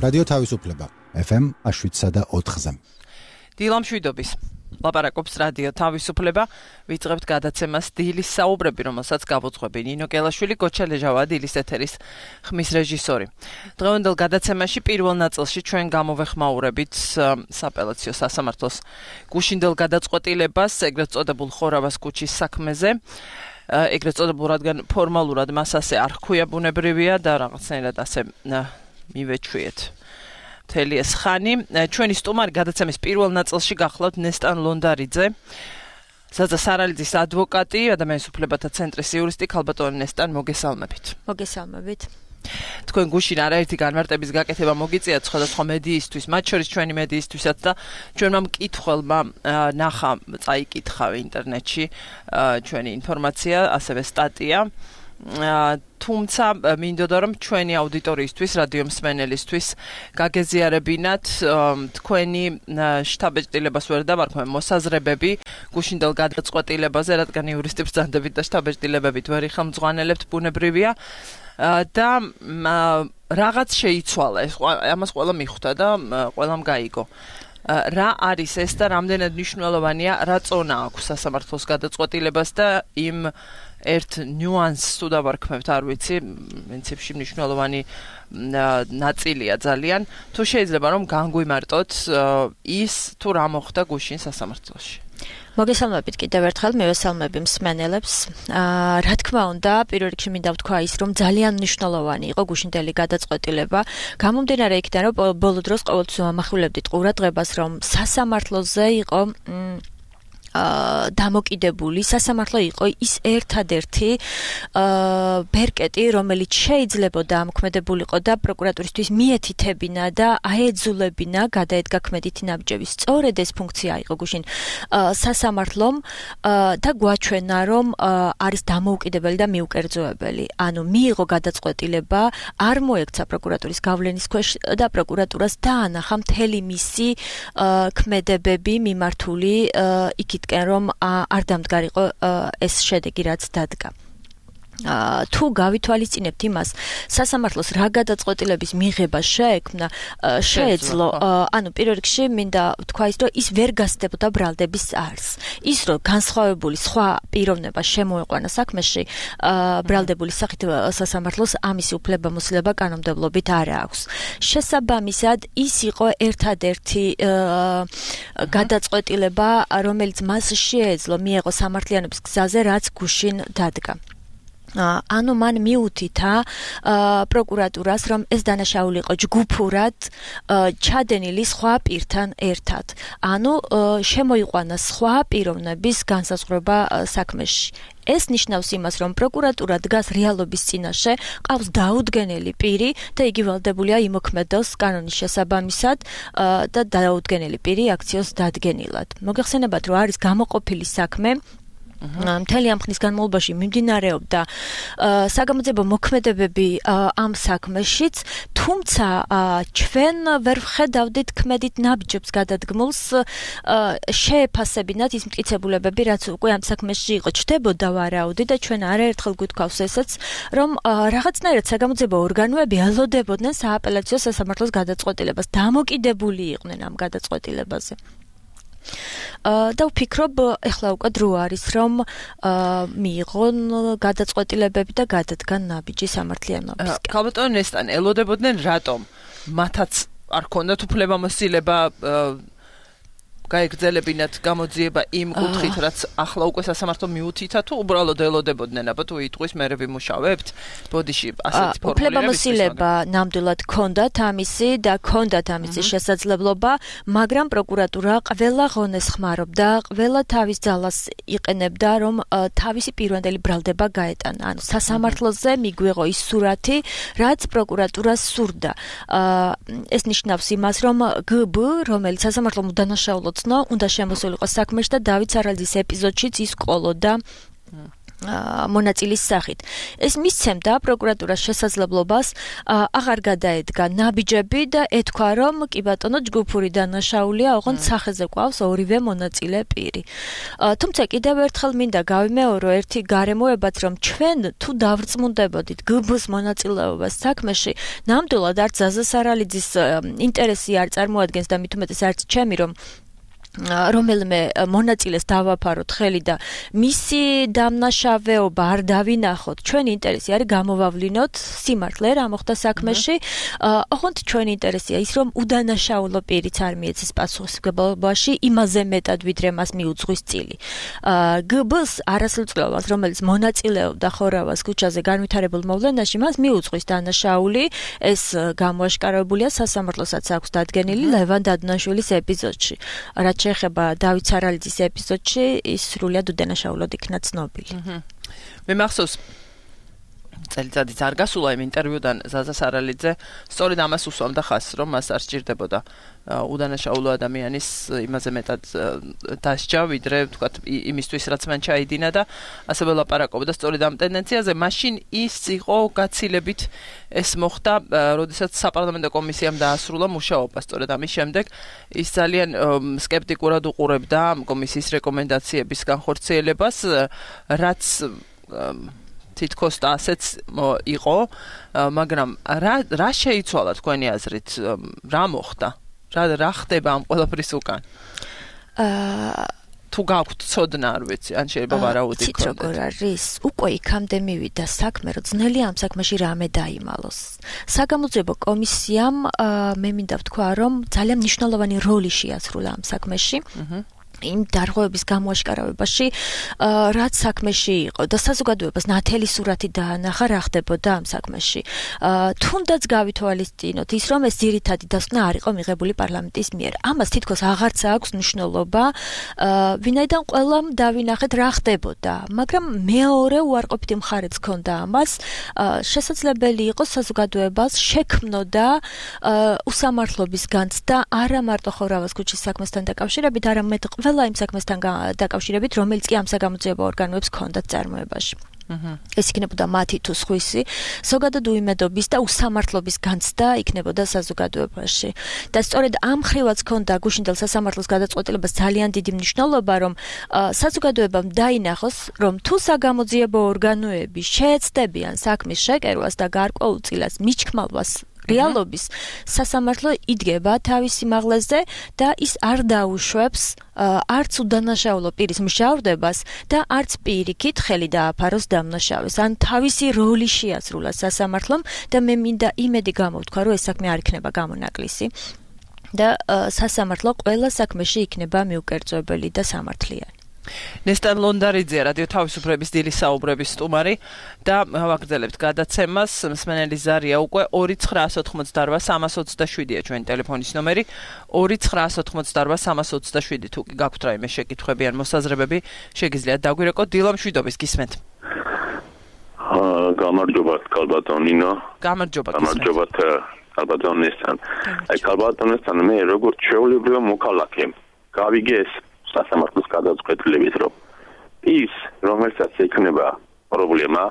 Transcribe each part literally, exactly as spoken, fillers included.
რადიო თავისუფლება ეფ ემ შვიდსა და ოთხზე. დილამშვიდობის. ლაპარაკობს რადიო თავისუფლება. ვიწყებთ გადაცემას დილის საუბრები, რომელსაც გავუძღვები ნინო კელაშვილი, გოჩა ლეჟავა, დილის ეთერის ხმის რეჟისორი. დღევანდელ გადაცემაში პირველ ნაწილში ჩვენ გამოვეხმაურებით საპელაციო სასამართლოს გუშინდელ გადაწყვეტილებას, ეგრეთ წოდებულ ხორავას ქუჩის საქმეზე. ეგრეთ წოდებულ, რადგან ფორმალურად მას ასე არ ჰქვია, ბუნებრივია და რაღაცნაირად ასე მივეჩვიეთ. მთელი ეს ხანი. ჩვენი სტუმარი გადაცემის პირველ ნაწილში გახლავთ ნესტან ლონდარიძე, ზაზა სარალიძის ადვოკატი, ადამიანის უფლებათა ცენტრის იურისტი. ქალბატონი ნესტან, მოგესალმებით. მოგესალმებით. თქვენ გუშინ არაერთი განმარტების გაკეთება მოგიწიათ სხვადასხვა მედიისთვის, მათ შორის ჩვენი მედიისთვისაც და ჩვენმა მკითხველმა ნახა, წაიკითხა ინტერნეტში ჩვენი ინფორმაცია, ასევე სტატია. თუმცა მინდოდა რომ ჩვენი აუდიტორიისთვის, რადიო მსმენელისთვის გაგეზიარებინათ თქვენი შთაბეჭდილებას ვერ დავარქვენ მოსაზრებები გუშინდელ გადაწყვეტილებაზე, რადგან იურისტებს ბრძანდებით და შთაბეჭდილებებით ვერ იხელმძღვანელებთ, ბუნებრივია და რაღაც შეიცვალა, ამას ყველა მიხვდა და ყველამ გაიგო. რა არის ეს და რამდენად მნიშვნელოვანია, რა წონა აქვს სასამართლოს გადაწყვეტილებას და იმ ერთ ნიუანსს თუ დავარქმევთ, არ ვიცი, პრინციპში მნიშვნელოვანი ნაწილია ძალიან. თუ შეიძლება რომ განგვიმარტოთ ის თუ რა მოხდა გუშინ სასამართლოში. მოგესალმებით კიდევ ერთხელ, მივესალმები მსმენელებს. რა თქმა უნდა, პირველ რიგში მინდა ვთქვა ის, რომ ძალიან მნიშვნელოვანი იყო გუშინდელი გადაწყვეტილება. გამომდინარე იქიდან, რომ ბოლო დროს ყოველთვის ვამახვილებდით ყურადღებას, რომ სასამართლოზე იყო დამოკიდებული, სასამართლო იყო ის ერთადერთი ბერკეტი, რომელიც შეიძლებოდა ამოქმედებულიყო და პროკურატურისთვის მიეთითებინა და აეძულებინა გადაედგა ქმედითი ნაბიჯების. სწორედ ეს ფუნქცია იყო გუშინ სასამართლომ და გვაჩვენა, რომ არის დამოუკიდებელი და მიუკერძოებელი. ანუ მიიღო გადაწყვეტილება, არ მოექცა პროკურატურის გავლენის ქვეშ და პროკურატურას დაანახა მთელი მისი ქმედებები მიმართული იქით რომ არ დამდგარიყო ეს შედეგი, რაც დადგა. თუ გავითვალისწინებთ იმას, სასამართლოს რა გადაწყვეტილების მიღება შეექმნა, შეეძლო, ანუ პირველ რიგში მინდა ვთქვა ის, რომ ის ვერ გასდებოდა ბრალდების არსს. ის, რომ განსხვავებული სხვა პიროვნება შემოეყვანა საქმეში, ბრალდებული სახით სასამართლოს ამისი უფლებამოსილება კანონმდებლობით არ აქვს. შესაბამისად, ის იყო ერთადერთი გადაწყვეტილება, რომელიც მას შეეძლო მიეღო სამართლიანობის გზაზე, რაც გუშინ დადგა. ანუ მან მიუთითა პროკურატურას, რომ ეს დანაშაული იყო ჯგუფურად ჩადენილი სხვა პირთან ერთად. ანუ შემოიყვანა სხვა პიროვნების განსაზღვრება საქმეში. ეს ნიშნავს იმას, რომ პროკურატურა დგას რეალობის წინაშე, ყავს დაუდგენელი პირი და იგი ვალდებულია იმოქმედოს კანონის შესაბამისად და დაუდგენელი პირი აქციოს დადგენილად. მოგეხსენებათ, რომ არის გამოყოფილი საქმე, მთელი ამ ხნის განმავლობაში მიმდინარეობდა საგამოძიებო მოქმედებები ამ საქმეშიც, თუმცა ჩვენ ვერ ვხედავდით ქმედით ნაბიჯებს გადადგმულს შეეფასებინათ ის მტკიცებულებები, რაც უკვე ამ საქმეში იყო, ჩდებოდა ვარაუდი და ჩვენ არაერთხელ გვითქვავს ესეც, რომ რაღაცნაირად საგამოძიებო ორგანოები ელოდებოდნენ სააპელაციო სასამართლოს გადაწყვეტილებას, დამოკიდებული იყვნენ ამ გადაწყვეტილებაზე. და ვფიქრობ, ეხლა უკვე დრო არის, რომ მიიღონ გადაწყვეტილებები და გადადგან ნაბიჯი სამართლიანობისკენ. ქალბატონი ნესტან, ელოდებოდნენ რატომ? მათაც არ ქონდათ უფლებამოსილება გაეგრძელებინათ გამოძიება იმ კუთხით, რაც ახლა უკვე სასამართლო მიუთითა, თუ უბრალოდ ელოდებოდნენ, აბა თუ იტყვის მერე ვიმუშავებთ, ბოდიში ასეთი ფორმულირების. უფლებამოსილება ნამდვილად ქონდათ ამისი და ქონდათ ამისი შესაძლებლობა, მაგრამ პროკურატურა ყველა ღონეს ხმარობდა, ყველა თავის ძალას იყენებდა, რომ თავისი პირვანდელი ბრალდება გაეტანა. ანუ სასამართლოზე მიგვიღო ის სურათი, რაც პროკურატურას სურდა. ეს ნიშნავს იმას, რომ გბ, რომელიც სასამართლომ დანაშაულო უნდა შემოსულიყო საქმეში და დავით სარალიძის ეპიზოდშიც ის ყოლოდა მონაწილის სახით. ეს მისცემდა პროკურატურას შესაძლებლობას აღარ გადაედგა ნაბიჯები და ეთქვა, რომ კი ბატონო ჯგუფური დანაშაულია, ოღონდ სახეზე ყავს ორივე მონაწილე პირი. თუმცა კიდევ ერთხელ მინდა გავიმეორო ერთი გარემოებაც, რომ ჩვენ თუ დავრწმუნდებოდით გბ-ს მონაწილეობას საქმეში, ნამდვილად არც ზაზა სარალიძის ინტერესი არ წარმოადგენს და მით უმეტეს არც ჩემი, რომ რომელიმე მონაწილეს დავაფაროთ ხელი და მისი დამნაშავეობა არ დავინახოთ. ჩვენი ინტერესი არის გამოვავლინოთ სიმართლე რა მოხდა საქმეში. ოღონდ ჩვენი ინტერესია ის, რომ უდანაშაულო პირიც არ მიეცეს პასუხისმგებლობაში იმაზე მეტად, ვიდრე მას მიუძღვის წილი. გბ-ს არასრულწლოვანს, რომელიც მონაწილეობდა ხორავას ქუჩაზე განვითარებულ მოვლენაში, მას მიუძღვის დანაშაული. ეს გამოაშკარებულია სასამართლოსაც აქვს დადგენილი ლევან დადნაშვილის ეპიზოდში. რაც შეეხება დავით სარალიძის ეპიზოდში, ის სრულიად უდანაშაულოდ იქნა ცნობილი. მე მახსოვს წელიწადიც არ გასულა იმ ინტერვიუდან ზაზა სარალიძე სწორედ ამას უსვამდა ხაზს, რომ მას არ სჭირდებოდა უდანაშაულო ადამიანის იმაზე მეტად დასჯა, ვიდრე ვთქვათ იმისთვის, რაც მან ჩაიდინა და ასევე ლაპარაკობდა სწორედ ამ ტენდენციაზე. მაშინ ის იყო გაცილებით ეს მოხდა, როდესაც საპარლამენტო კომისიამ დაასრულა მუშაობა. სწორედ ამის შემდეგ ის ძალიან სკეპტიკურად უყურებდა კომისიის რეკომენდაციების განხორციელებას, რაც თითქოს და ასეც იყო, მაგრამ რა რა შეიცვალა თქვენი აზრით, რა მოხდა? რა რა ხდება ამ ყველაფრის უკან? აა თუ გაქვთ ცოდნა, არ ვიცი, ან შეიძლება ვარაუდი გქონდეთ. როგორ არის? უკვე იქამდე მივიდა საქმე, რომ ძნელია ამ საქმეში რამე დაიმალოს. საგამოძიებო კომისიამ მე მინდა ვთქვა, რომ ძალიან მნიშვნელოვანი როლი შეასრულა ამ საქმეში. აჰა. იმ დარღვევების გამოაშკარავებაში, რაც საქმეში იყო და საზოგადოებას ნათელი სურათი დაანახა რა ხდებოდა ამ საქმეში. თუნდაც გავითვალისწინოთ ის, რომ ეს ძირითადი დასკვნა არ იყო მიღებული პარლამენტის მიერ. ამას თითქოს აღარც აქვს მნიშვნელობა, ვინაიდან ყველამ დავინახეთ რა ხდებოდა, მაგრამ მეორე უარყოფითი მხარეც ჰქონდა ამას. შესაძლებელი იყო საზოგადოებას შექმნოდა უსამართლობის განცდა არა მარტო ხორავას ქუჩის საქმესთან დაკავშირებით, არამედ ყველა იმ საქმესთან დაკავშირებით, რომელიც კი ამ საგამოძიებო ორგანოებს ჰქონდათ წარმოებაში. ეს იქნებოდა მათი თუ სხვისი, ზოგადად უიმედობის და უსამართლობის განცდა იქნებოდა საზოგადოებაში. და სწორედ ამ ხრივაც ჰქონდა გუშინდელ სასამართლოს გადაწყვეტილებას ძალიან დიდი მნიშვნელობა, რომ საზოგადოებამ დაინახოს, რომ თუ საგამოძიებო ორგანოები შეეცდებიან საქმის შეკერვას და გარკვეულ წილას მიჩქმალვას რეალობის, სასამართლო იდგება თავის სიმაღლეზე და ის არ დაუშვებს არც უდანაშაულო პირის მჟავრდებას და არც პირიქით ხელი დააფაროს დამნაშავეს. ან თავისი როლი შეასრულა სასამართლომ და მე მინდა იმედი გამოვთქვა, რომ ეს საქმე არ იქნება გამონაკლისი და სასამართლო ყველა საქმეში იქნება მიუკერძოებელი და სამართლიანი. ნესტან ლონდარიძე, რადიო თავისუფლების დილის საუბრების სტუმარი და ვაგრძელებთ გადაცემას. მსმენელი ზარია უკვე ორი ცხრაას ოთხმოცდარვა სამას ოცდაშვიდია ჩვენი ტელეფონის ნომერი. ორი ცხრაას ოთხმოცდარვა სამას ოცდაშვიდი. თუ კი გაქვთ რაიმე შეკითხვები ან მოსაზრებები, შეგიძლიათ დაგვირეკოთ. დილა მშვიდობის, გისმენთ. აა გამარჯობათ კალბატონინო. გამარჯობათ. გამარჯობათ კალბატონესთან. აი კალბატონესთან მე როგორც ჩვეულებრივი მოქალაქე გავიგე ეს სასამართლოს გადაწყვეტილებით, რომ ის, რომელსაც ექნება პრობლემა,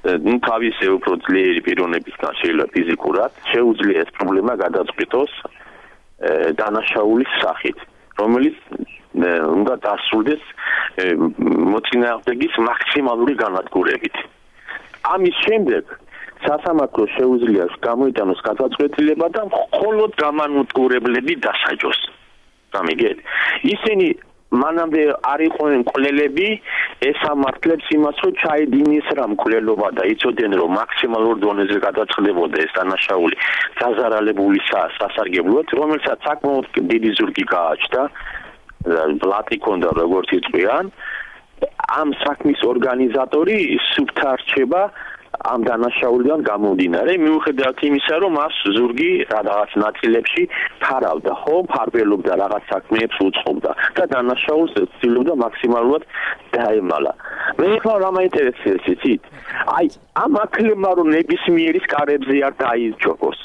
ნუ თავისი უფრო ძლიერი პიროვნებისგან შეიძლება ფიზიკურად, შეუძლია ეს პრობლემა გადაწყვეტოს დანაშაულის სახით, რომელიც უნდა დასრულდეს მოწინააღმდეგის მაქსიმალური განადგურებით. ამის შემდეგ სასამართლო შეუძლია გამოიტანოს გადაწყვეტილება და მხოლოდ გამანადგურებლები დასაჯოს. გამიგეთ? ისინი მანამდე არ იყვნენ მკვლელები, ესამართლებს იმას, რომ ჩაედინეს რა მკვლელობა და იცოდნენ, რომ მაქსიმალურ დონეზე გადაწყდებოდა ეს დანაშაული დაზარალებული სასარგებლოდ, რომელსაც საკმაოდ დიდი ზურგი გააჩნდა, ბლატი ქონდა როგორც იწვიან. ამ საქმის ორგანიზატორი სუფთა რჩება ამ დანაშაულიდან გამომდინარე, მიუხედავად იმისა, რომ მას ზურგი რაღაც ნაწილებში ფარავდა, ხო, ფარბელობდა რაღაც საქმეებს უწყობდა და დანაშაულს ცდილობდა მაქსიმალურად დაემალა. მე ხარ რა მაინტერესებს იცით? აი, ამ აქლებმა რომ ნებისმიერის კარებზე არ დაიჯობოს.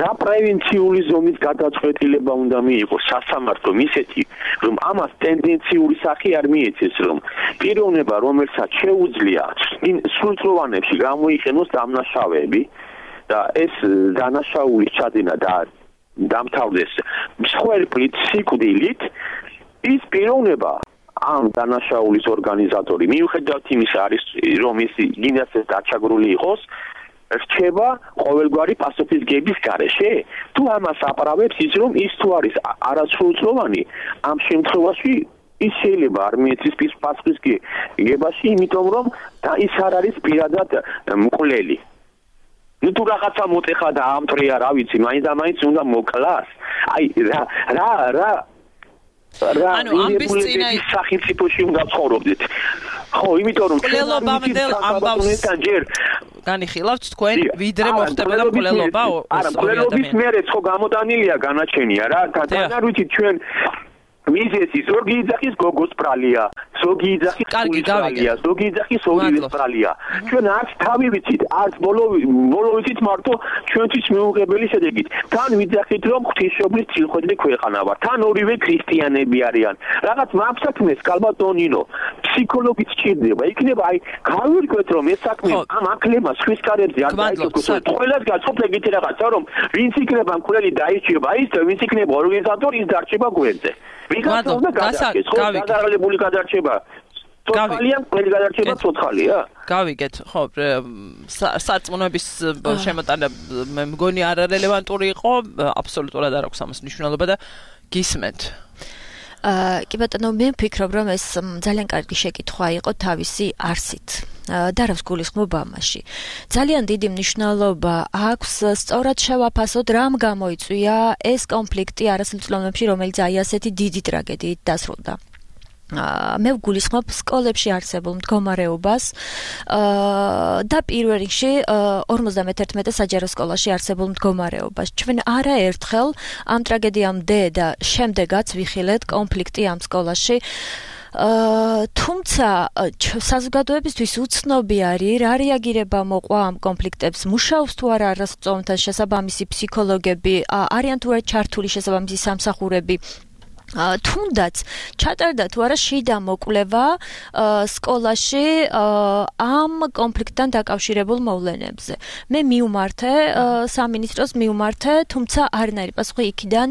რა პრევენციული ზომის გადაწყვეტილება უნდა მიიღოს სასამართლომ ისეთი, რომ ამას ტენდენციური სახე არ მიეცეს, რომ პიროვნება, რომელსაც შეუძლია იმ სრულწლოვანებში გამოიყენოს დამნაშავეები და ეს დანაშაულის ჩადენა და დამთავრდეს მსხვერპლით, სიკვდილით, ის პიროვნება ამ დანაშაულის ორგანიზატორი მიუხედავად იმისა, არის რომ ის გინდას დაჩაგრული იყოს, რჩება ყოველგვარი პასუხისგების გარეშე. თუ ამას აპარავებს ის, რომ ის თუ არის არასრულწლოვანი, ამ შემთხვევაში ის შეიძლება არ მიეცეს პასუხისგებაში, იმიტომ რომ და ის არ არის პირადად მკვლელი. ნუ თუ რაღაცა მოტეხა და ამტრია, რა ვიცი, მაინც და მაინც უნდა მოკლას. აი რა რა რა რა ანუ ამბის წინა სახელმწიფოში უნდა ცხოვრობდეთ. ხო, იმიტომ რომ მკვლელობამდელ ამბავს ჯერ განიხილავთ თქვენ, ვიდრე მოხდებოდა მკვლელობა ორი ადამიანის. მკვლელობის მერეც ხო გამოდანილია განაჩენია რა. თან არ ვიცით ჩვენ მიზეზი ზოგი იძახის გოგოს ბრალია, ზოგი იძახის გულის ბრალია, ზოგი იძახის ორივეს ბრალია. ჩვენ არც თავი ვიცით, არც ბოლო ბოლო ვიცით მარტო ჩვენთვის მიუღებელი შედეგით. თან ვიძახით რომ ღვთისმშობლის წილხვედრი ქვეყანა ვარ. თან ორივე ქრისტიანები არიან. რაღაც მაფსაქმეს კალბატონინო, ფსიქოლოგიც სჭირდება. იქნება აი გავირკვეთ რომ ეს საქმე ამ აკლება სხვის კარებზე არ დაიწყოს. ყველას გაცხობთ ეგეთი რაღაცა რომ ვინც იქნება მკვლელი დაიჭირება ის და ვინც იქნება ორგანიზატორი ის დარჩება გვერდზე. მადლობ, გასაგები. გადაღებული გადარჩება. ცოცხალია, ყველი გადარჩება ცოცხალია. გავიგეთ, ხო, სარწმუნოების შემოტანა მე მგონი არარელევანტური იყო, აბსოლუტურად არ აქვს ამას მნიშვნელობა და გისმენთ. აა, კი ბატონო, მე ვფიქრობ, რომ ეს ძალიან კარგი შეკითხვა იყო თავისი არსით. და რას გულისხმობ ამაში. ძალიან დიდი მნიშვნელობა აქვს სწორად შევაფასოთ, რამ გამოიწვია ეს კონფლიქტი არასრულწლოვანებში, რომელიც აი ასეთი დიდი ტრაგედიით დასრულდა. მე ვგულისხმობ სკოლებში არსებულ მდგომარეობას და პირველ რიგში ორმოცდამეთერთმეტე საჯარო სკოლაში არსებულ მდგომარეობას. ჩვენ არაერთხელ ამ ტრაგედიამდე და შემდეგაც ვიხილეთ კონფლიქტი ამ სკოლაში. თუმცა საზოგადოებისთვის უცნობი არის, რა რეაგირება მოყვა ამ კონფლიქტებს, მუშაობს თუ არა არასრულწლოვანთა შესაბამისი ფსიქოლოგები, არიან თუ არა ჩართული შესაბამისი სამსახურები. თუნდაც ჩატარდა თუ არა შიდა მოკვლევა სკოლაში ამ კონფლიქტთან დაკავშირებულ მოვლენებზე. მე მივმართე სამინისტროს მივმართე, თუმცა არანაირი პასუხი იქიდან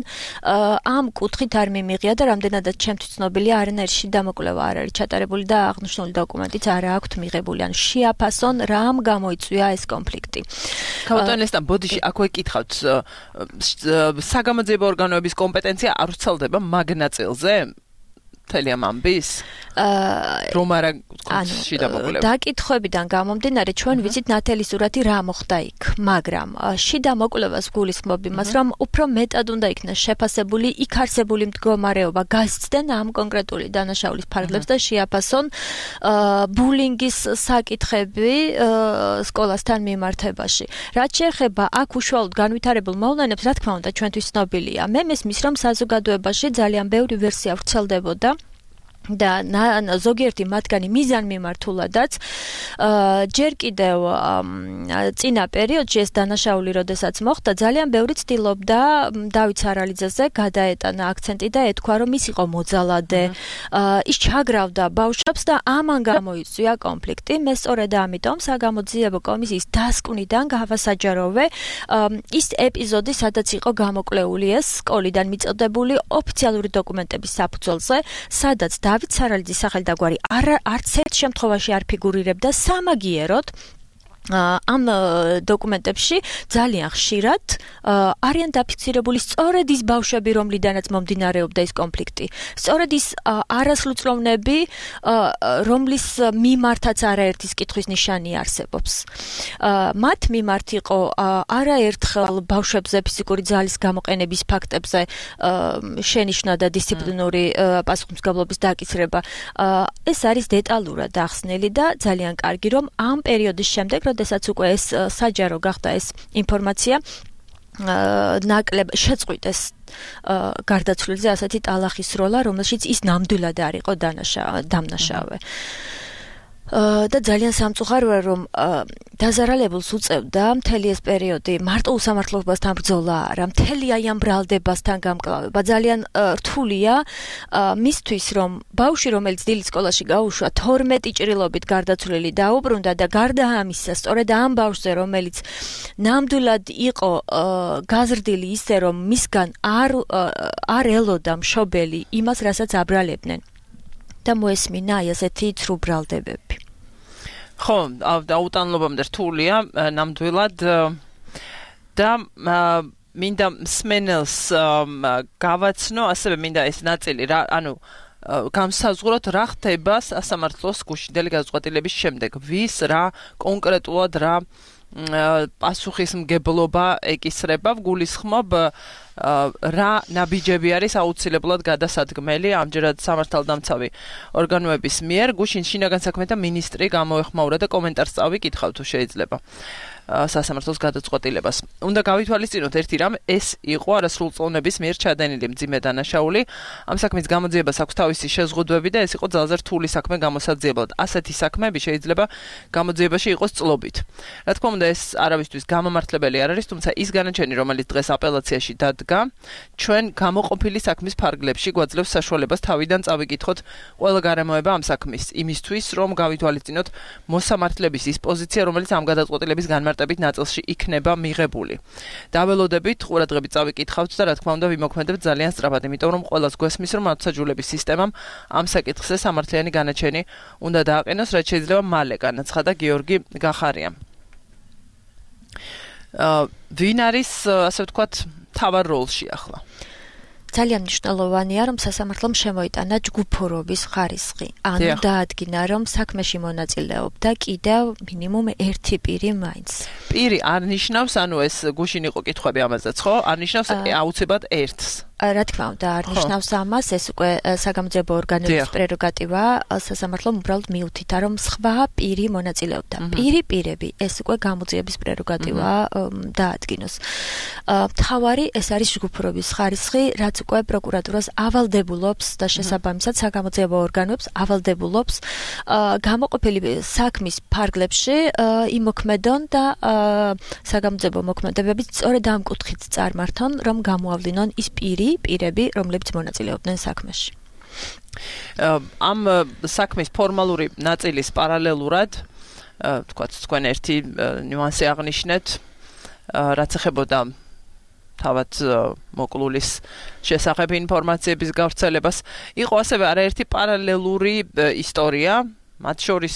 ამ კუთხით არ მიმიღია და რამდენადაც ჩემთვის ცნობილია, არანაირი შიდა მოკვლევა არ არის ჩატარებული და აღნიშნული დოკუმენტიც არ აქვთ მიღებული. ან შეაფასონ რამ გამოიწვია ეს კონფლიქტი. ქავტონესთან ბოდიში აქვე კითხავთ, საგამოძიებო ორგანოების კომპეტენცია არ ვრცელდება მაგ ნაწილზე მთელი ამ ამბის რომ არა შიდა მოკვლევა. დაკითხვებიდან გამომდინარე ჩვენ ვიცით ნათელი სურათი რა მოხდა იქ, მაგრამ შიდა მოკვლევას გულისხმობ იმას, რომ უფრო მეტად უნდა იქნას შეფასებული იქ არსებული მდგომარეობა, გასცდნენ ამ კონკრეტული დანაშაულის ფარგლებს და შეაფასონ ბულინგის საკითხები სკოლასთან მიმართებაში. რაც შეეხება აქ უშუალოდ განვითარებულ მოვლენებს, რა თქმა უნდა ჩვენთვის ცნობილია. მე მესმის რომ საზოგადოებაში ძალიან ბევრი ვერსია ვრცელდებოდა და ზოგიერთი მათგანი მიზანმიმართულადაც ჯერ კიდევ წინა პერიოდში ეს დანაშაული როდესაც მოხდა, ძალიან ბევრი ცდილობდა დავით სარალიძეზე გადაეტანა აქცენტი და ეთქვა, რომ ის იყო მოძალადე, ის ჩაგრავდა ბავშვებს და ამან გამოიწვია კონფლიქტი. მე სწორედ ამიტომ საგამოძიებო კომისიის დასკვნიდან გავასაჯაროვე ის ეპიზოდი, სადაც იყო გამოკვლეული ეს სკოლიდან მიწოდებული ოფიციალური დოკუმენტების საფუძველზე, სადაც დავით სარალიძის სახელი და გვარი არც ერთ შემთხვევაში არ ფიგურირებდა სამაგიეროდ. ამ დოკუმენტებში ძალიან ხშირად არიან დაფიქსირებული სწორედ ის ბავშვები, რომლიდანაც მომდინარეობდა ეს კონფლიქტი. სწორედ ის არასრულწლოვნები, რომლის მიმართაც არაერთის კითხვის ნიშანი არსებობს. მათ მიმართ იყო არაერთხელ ბავშვებზე ფიზიკური ძალის გამოყენების ფაქტებზე შენიშვნა და დისციპლინური პასუხისმგებლობის დაკისრება. ეს არის დეტალურად ახსნილი და ძალიან კარგი, რომ ამ პერიოდის შემდეგ როდესაც უკვე ეს საჯარო გახდა ეს ინფორმაცია ნაკლებ შეწყვიტეს გარდაცვლილზე ასეთი ტალახის როლა, რომელშიც ის ნამდვილად არ იყო დამნაშავე. და ძალიან სამწუხაროა რომ დაზარალებულს უწევდა მთელი ეს პერიოდი მარტო უსამართლობასთან ბრძოლა არა, მთელი აი ამ ბრალდებასთან გამკლავება. ძალიან რთულია მისთვის რომ ბავშვი რომელიც დილით სკოლაში გაუშვა თორმეტი ჭრილობით გარდაცვლილი დაუბრუნდა და გარდა ამისა სწორედ ამ ბავშვზე რომელიც ნამდვილად იყო გაზრდილი ისე რომ მისგან არ არ ელოდა მშობელი იმას რასაც აბრალებდნენ და მოესმინა აი ასეთი ცრუ ბრალდებები. ხო, აუტანლობამდე რთულია ნამდვილად და მინდა მსმენელს გავაცნო, ასევე მინდა ეს ნაწილი რა, ანუ გამსაზღვროთ რა ხდება სასამართლოს გუშინდელი გადაწყვეტილების შემდეგ, ვის რა კონკრეტულად რა პასუხისმგებლობა ეკისრება, გულისხმობ რა ნაბიჯები არის აუცილებლად გადასადგმელი ამჯერად სამართალდამცავი ორგანოების მიერ. გუშინ შინაგან საქმეთა მინისტრი გამოეხმაურა და კომენტარს წავიკითხავ თუ შეიძლება სასამართლოს გადაწყვეტილებას. უნდა გავითვალისწინოთ ერთი რამ, ეს იყო არასრულწლოვნების მიერ ჩადენილი მძიმე დანაშაული. ამ საქმის გამოძიებას აქვს თავისი შეზღუდვები და ეს იყო ძალზე რთული საქმე გამოსაძიებლად. ასეთი საქმეები შეიძლება გამოძიებაში იყოს წლობით. რა თქმა უნდა, ეს არავისთვის გამომართლებელი არ არის, თუმცა ის განაჩენი, რომელიც დღეს აპელაციაში დადგა, ჩვენ გამოყოფილი საქმის ფარგლებში გვაძლევს საშუალებას თავიდან წავიკითხოთ ყველა გარემოება ამ საქმის, იმისთვის, რომ გავითვალისწინოთ მოსამართლების ის პოზიცია, რომელიც ამ გადაწყვეტილების განმარტებით ნაწილში იქნება მიღებული. დაველოდებით, ყურადღებით წავიკითხავთ და რა თქმა უნდა ვიმოქმედებთ ძალიან სწრაფად, იმიტომ რომ ყველას გვესმის, რომ მართლმსაჯულების სისტემამ ამ საკითხზე სამართლიანი განაჩენი უნდა დააყენოს, რაც შეიძლება მალე, განაცხადა გიორგი გახარიამ. ვინ არის, ასე ვთქვათ, თავარ როლში ახლა? ძალიან მნიშვნელოვანია რომ სასამართლომ შემოიტანა ჯგუფურობის ხარისხი. ანუ დაადგინა რომ საქმეში მონაწილეობდა კიდევ მინიმუმ ერთი პირი მაინც. პირი არ ნიშნავს, ანუ ეს გუშინ იყო კითხვები ამაზეც, ხო? არ ნიშნავს აუცილებლად ერთს. რა თქმა უნდა, არ ნიშნავს ამას, ეს უკვე საგამოძიებო ორგანოების პრეროგატივა, სასამართლომ უბრალოდ მიუთითა, რომ სხვა პირი მონაწილეობდა. პირი პირები, ეს უკვე გამოძიების პრეროგატივა დაადგინოს. მთავარი ეს არის ჯგუფურობის ხარისხი, რაც უკვე პროკურატურას ავალდებულობს და შესაბამისად საგამოძიებო ორგანოებს ავალდებულობს გამოყოფილი საქმის ფარგლებში იმოქმედონ და საგამოძიებო მოქმედებები სწორედ ამ კუთხით წარმართონ, რომ გამოავლინონ ის პირი პირები, რომლებიც მონაწილეობდნენ საქმეში. ამ საქმის ფორმალური ნაწილის პარალელურად, თქვათ, თქვენ ერთი ნიუანსი აღნიშნეთ, რაც ეხებოდა თავად მოკლულის შესახებ ინფორმაციების გავრცელებას, იყო ასევე არაერთი პარალელური ისტორია, მათ შორის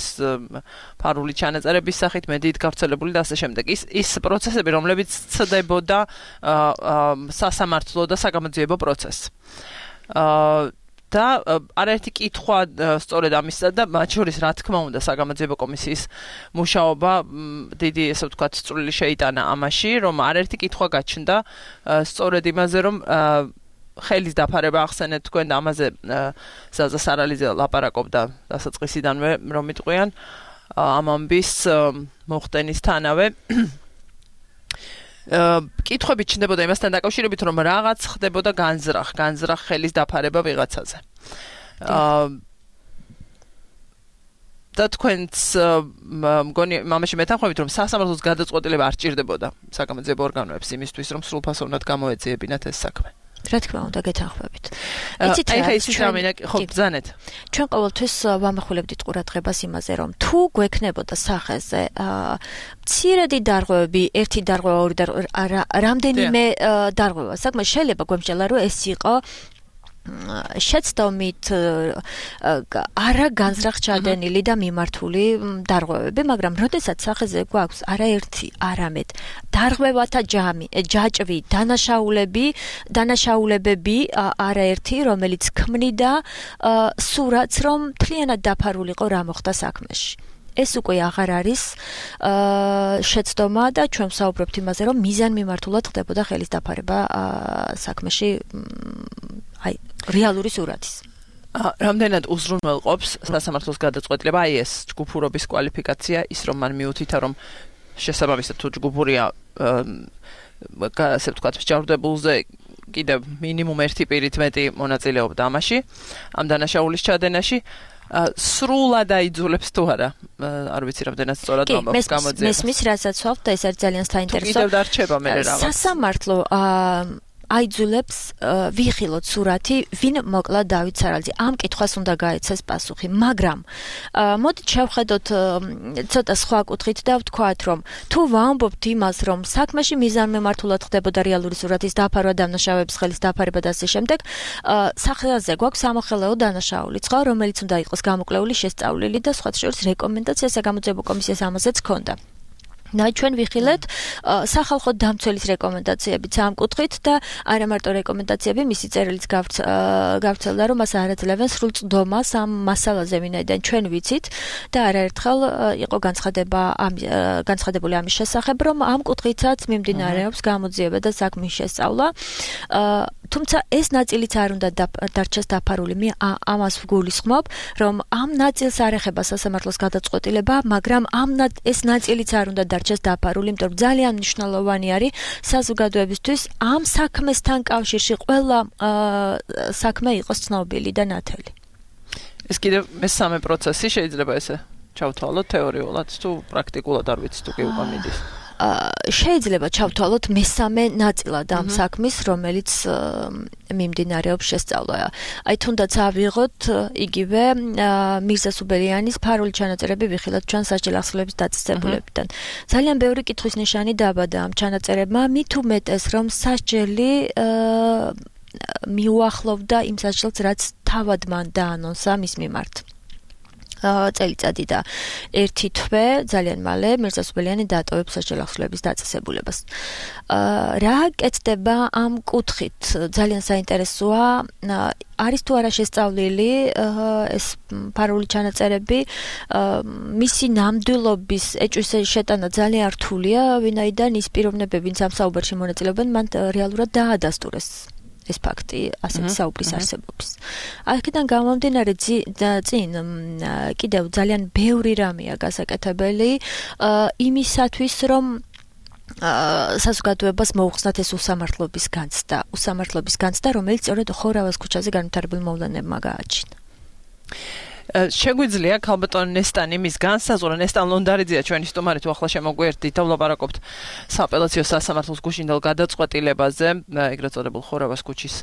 ფარული ჩანაწერების სახით მედიით გავრცელებული და ასე შემდეგ. ის ის პროცესები, რომლებიც ცდებოდა სასამართლო და საგამოძიებო პროცესს. და არაერთი კითხვა სწორედ ამისა და მათ შორის რა თქმა უნდა საგამოძიებო კომისიის მუშაობა დიდი ესე ვთქვათ წვლილი შეიტანა ამაში, რომ არაერთი კითხვა გაჩნდა სწორედ იმაზე, რომ ხელის დაფარება ახსენეთ თქვენ და ამაზე ზაზა სარალიძე ლაპარაკობდა დასაწყისიდანვე, რომ იტყვიან ამ ამბის მოხდენისთანავე. კითხვები ჩნდებოდა იმასთან დაკავშირებით, რომ რაღაც ხდებოდა განზრახ, განზრახ ხელის დაფარება ვიღაცაზე. და თქვენც მგონი მამაში მეთანხმებით, რომ სასამართლოს გადაწყვეტილება არ ჭირდებოდა საგამოძიებო ორგანოებს იმისთვის, რომ სრულფასოვნად გამოეძიებინათ ეს საქმე. რა თქმა უნდა, გეთანხმებით. იცით რა, აი ეს რამე ხო ბრძანეთ. ჩვენ ყოველთვის ვამახვილებდით ყურადღებას იმაზე, რომ თუ გვექნებოდა სახეზე მცირედი დარღვევები, ერთი დარღვევა, ორი დარღვევა, რამდენიმე დარღვევა, საკმაოდ შეიძლება გვემსჯელა, რომ ეს იყო შეცდომით არა განზრახ ჩადენილი და მიმართული დარღვევები, მაგრამ როდესაც სახეზე გვაქვს არაერთი, არამედ დარღვევათა ჯამი, ჯაჭვი, დანაშაულები, დანაშაულებები არაერთი, რომელიც ქმნიდა სურათს, რომ მთლიანად დაფარულიყო რა მოხდა საქმეში. ეს უკვე აღარ არის შეცდომა და ჩვენ ვსაუბრობთ იმაზე, რომ მიზანმიმართულად ხდებოდა ხელის დაფარება საქმეში აი რეალური სურათის. რამდენად უზრუნველყოფს სასამართლოს გადაწყვეტილება აი ეს ჯგუფურობის კვალიფიკაცია, ის რომ მან მიუთითა, რომ შესაბამისად თუ ჯგუფურია ასე ვთქვათ მსჯავრდებულზე კიდევ მინიმუმ ერთი პირით მეტი მონაწილეობდა ამაში, ამ დანაშაულის ჩადენაში. სრულად აიძულებს თუ არა არ ვიცი რამდენად სწორად მომაქვს გამოძიება მესმის რასაც ვთქვათ და ეს არის ძალიან საინტერესო კიდევ დარჩება მე რაღაც სასამართლო აიძულებს ვიხილოთ სურათი ვინ მოკლა დავით სარალძე ამ კითხვას უნდა გაეცეს პასუხი მაგრამ მოდით შევხედოთ ცოტა სხვა კუთხით და ვთქვათ რომ თუ ვამბობთ იმას რომ საქმეში მიზანმემართულად ხდებოდა რეალური სურათის დაფარვა დამნაშავეების ხელის დაფარება და ასე შემდეგ სახელზე გვაქვს სამოხელეო დანაშაულიც ხო რომელიც უნდა იყოს გამოკვლეული შესწავლილი და სხვა შორის რეკომენდაცია საგამოძიებო კომისიას ამაზეც ჰქონდა და ჩვენ ვიხილეთ სახალხო დამცველის რეკომენდაციებიც ამ კუთხით და არა მარტო რეკომენდაციები მისი წერილიც გავრცელდა რომ მას არაძლევენ სრულწლდომას ამ მასალაზე ვინაიდან ჩვენ ვიცით და არაერთხელ იყო განცხადება განცხადებული ამის შესახებ რომ ამ კუთხითაც მიმდინარეობს გამოძიება და საქმის შესწავლა თუმცა ეს ნაწილიც არ უნდა დარჩეს დაფარული მე ამას ვგულისხმობ რომ ამ ნაწილს არ ეხება სასამართლოს გადაწყვეტილება მაგრამ ამ ეს ნაწილიც არ უნდა დარჩეს დაფარული იმიტომ რომ ძალიან მნიშვნელოვანი არის საზოგადოებისთვის ამ საქმესთან კავშირში ყველა საქმე იყოს ცნობილი და ნათელი ეს კიდევ მესამე პროცესი შეიძლება ესე ჩავთვალოთ თეორიულად თუ პრაქტიკულად არ ვიცი თუ კი უკვე მიდის შეიძლება ჩავთვალოთ მესამე ნაწილად ამ საქმის, რომელიც მიმდინარეობს შესწავლა. აი თუნდაც ავიღოთ იგივე მირზა სუბელიანის ფარული ჩანაწერები ვიხილოთ ჩვენ სასჯელ ახსნილების დაწესებულებიდან. ძალიან ბევრი კითხვის ნიშანი დაბადა ამ ჩანაწერებმა, მით უმეტეს რომ სასჯელი მიუახლოვდა იმ სასჯელს, რაც თავად მან დაანონსა მის მიმართ. წელიწადი და ერთი თვე ძალიან მალე მირზა სუბელიანი დაატოვებს სასჯელ ახსნილების დაწესებულებას. რა კეთდება ამ კუთხით? ძალიან საინტერესოა არის თუ არა შესწავლილი ეს ფარული ჩანაწერები მისი ნამდვილობის ეჭვის შეტანა ძალიან რთულია, ვინაიდან ის პიროვნებები, ვინც ამ საუბარში მონაწილეობენ, მან რეალურად დაადასტურეს ეს ფაქტი ასეთი საუბრის არსებობის. აქედან გამომდინარე წინ კიდევ ძალიან ბევრი რამეა გასაკეთებელი იმისათვის რომ საზოგადოებას მოუხსნათ ეს უსამართლობის განცდა, უსამართლობის განცდა, რომელიც სწორედ ხორავას ქუჩაზე განვითარებულ მოვლენებმა გააჩინა. შეგვიძლია ქალბატონ ნესტანი მის განსაზღვრა ნესტან ლონდარიძეა ჩვენი სტუმარი თუ ახლა შემოგვერთდით და ვლაპარაკობთ სააპელაციო სასამართლოს გუშინდელ გადაწყვეტილებაზე ეგრეთ წოდებულ ხორავას ქუჩის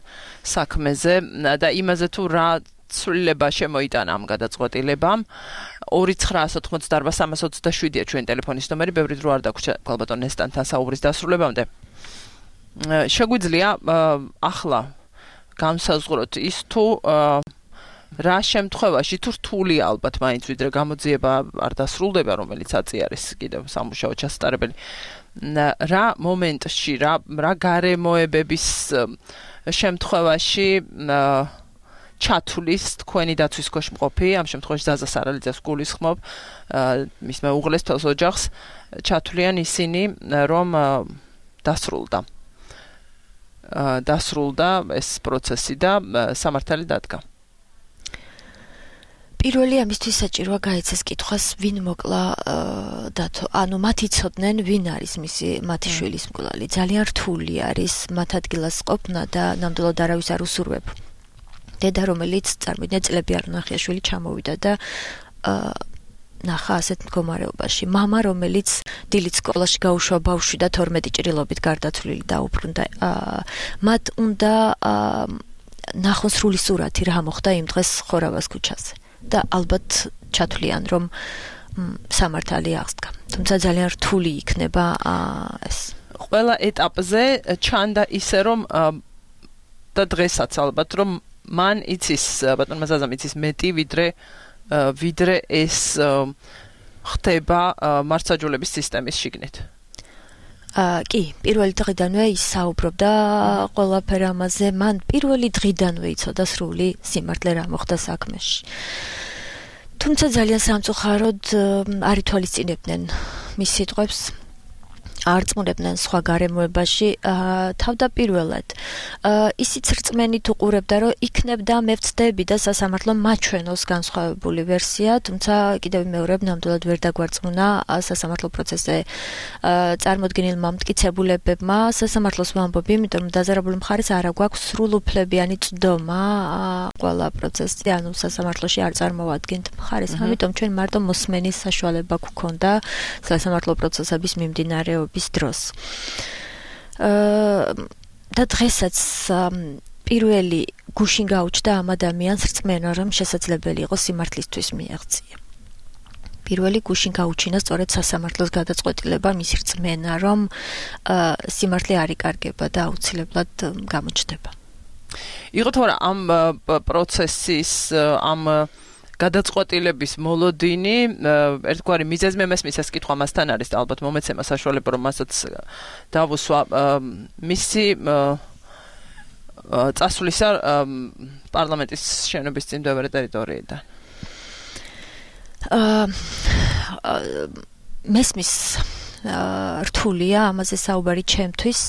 საქმეზე და იმაზე თუ რა ცვლილება შემოიტანა ამ გადაწყვეტილებამ ორი ცხრაას ოთხმოცდაარბა სამას ოცდაშვიდია ჩვენი ტელეფონის ნომერი ბევრი დრო არ დაგვრჩა ქალბატონ ნესტანთან საუბრის დასრულებამდე შეგვიძლია ახლა განსაზღვროთ ის თუ რა შემთხვევაში თუ რთულია ალბათ მაინც ვიდრე გამოძიება არ დასრულდება რომელიც აწი არის კიდევ სამუშაო ჩასატარებელი რა მომენტში რა რა გარემოებების შემთხვევაში ჩათulis თქვენი დაცვის ქვეშ მყოფი ამ შემთხვევაში ზაზა სარალიძეს გულისხმობ მის მეუღლეს თელს ოჯახს ჩათვლიან ისინი რომ დასრულდა დასრულდა ეს პროცესი და სამართალი დადგა პირველი ამისთვის საჭიროა გაეცეს კითხვას ვინ მოკლა დათო ანუ მათ იცოდნენ ვინ არის მისი მათი შვილის მკვლელი ძალიან რთული არის მათ ადგილას ყოფნა და ნამდვილად არავის არ უსურვებ დედა რომელიც წარმოვიდგინეთ წლები არ ნახია შვილი ჩამოვიდა და ნახა ასეთ მდგომარეობაში მამა რომელიც დილით სკოლაში გაუშვა ბავშვი და თორმეტი ჭრილობით გარდაცვლილი დაუბრუნდა მათ უნდა ნახონ სრული სურათი რა მოხდა იმ დღეს ხორავას ქუჩაზე და ალბათ ჩათვლიან რომ სამართალი აღსდგა. თუმცა ძალიან რთული იქნება ეს. ყველა ეტაპზე ჩანდა ისე რომ და დღესაც ალბათ რომ მან იცის ბატონმა ზაზამ იცის მეტი ვიდრე ვიდრე ეს ხდება მართლმსაჯულების სისტემის შიგნით. კი, პირველი დღიდანვე ის საუბრობდა ყველაფერ ამაზე, მან პირველი დღიდანვე იცოდა სრული სიმართლე რა მოხდა საქმეში. თუმცა ძალიან სამწუხაროდ არ ითვალისწინებდნენ მის სიტყვებს. არწმუნებდნენ სხვა გარემოებაში თავდაპირველად ისიც რწმენით უყურებდა რომ იქნებდა მე ვწდები და სასამართლომ მაჩვენოს განსხვავებული ვერსია თუმცა კიდევ მეორედ ნამდვილად ვერ დაგვარწმუნა სასამართლო პროცესზე წარმოდგენილმა მტკიცებულებებმა სასამართლოს ვამბობ იმიტომ რომ დაზარებული მხარეს არ აქვს სრულუფლებიანი წვდომა ყველა პროცესზე ანუ სასამართლოში არ წარმოადგენთ მხარეს ამიტომ ჩვენ მარტო მოსმენის საშუალება გვქონდა სასამართლო პროცესების მიმდინარეობ bis დროს. და დღესაც პირველი გუშინ გაუჩნდა ამ ადამიანს რწმენა რომ შესაძლებელი იყო სიმართლისთვის მიაღწია. პირველი გუშინ გაუჩინა სწორედ სასამართლოს გადაწყვეტილება მის რწმენა რომ სიმართლე არ იკარგება და აუცილებლად გამოჩნდება. იყო თორე ამ პროცესის ამ გადაწყვეტილების მოლოდინი ერთგვარი მიზეზმე მესმის ეს კითხვა მასთან არის და ალბათ მომეცემა საშუალება რომ მასაც დავუსვა მისი წასვლისა პარლამენტის შენობის წინდვევრი ტერიტორიიდან მესმის რთულია ამაზე საუბარი ჩემთვის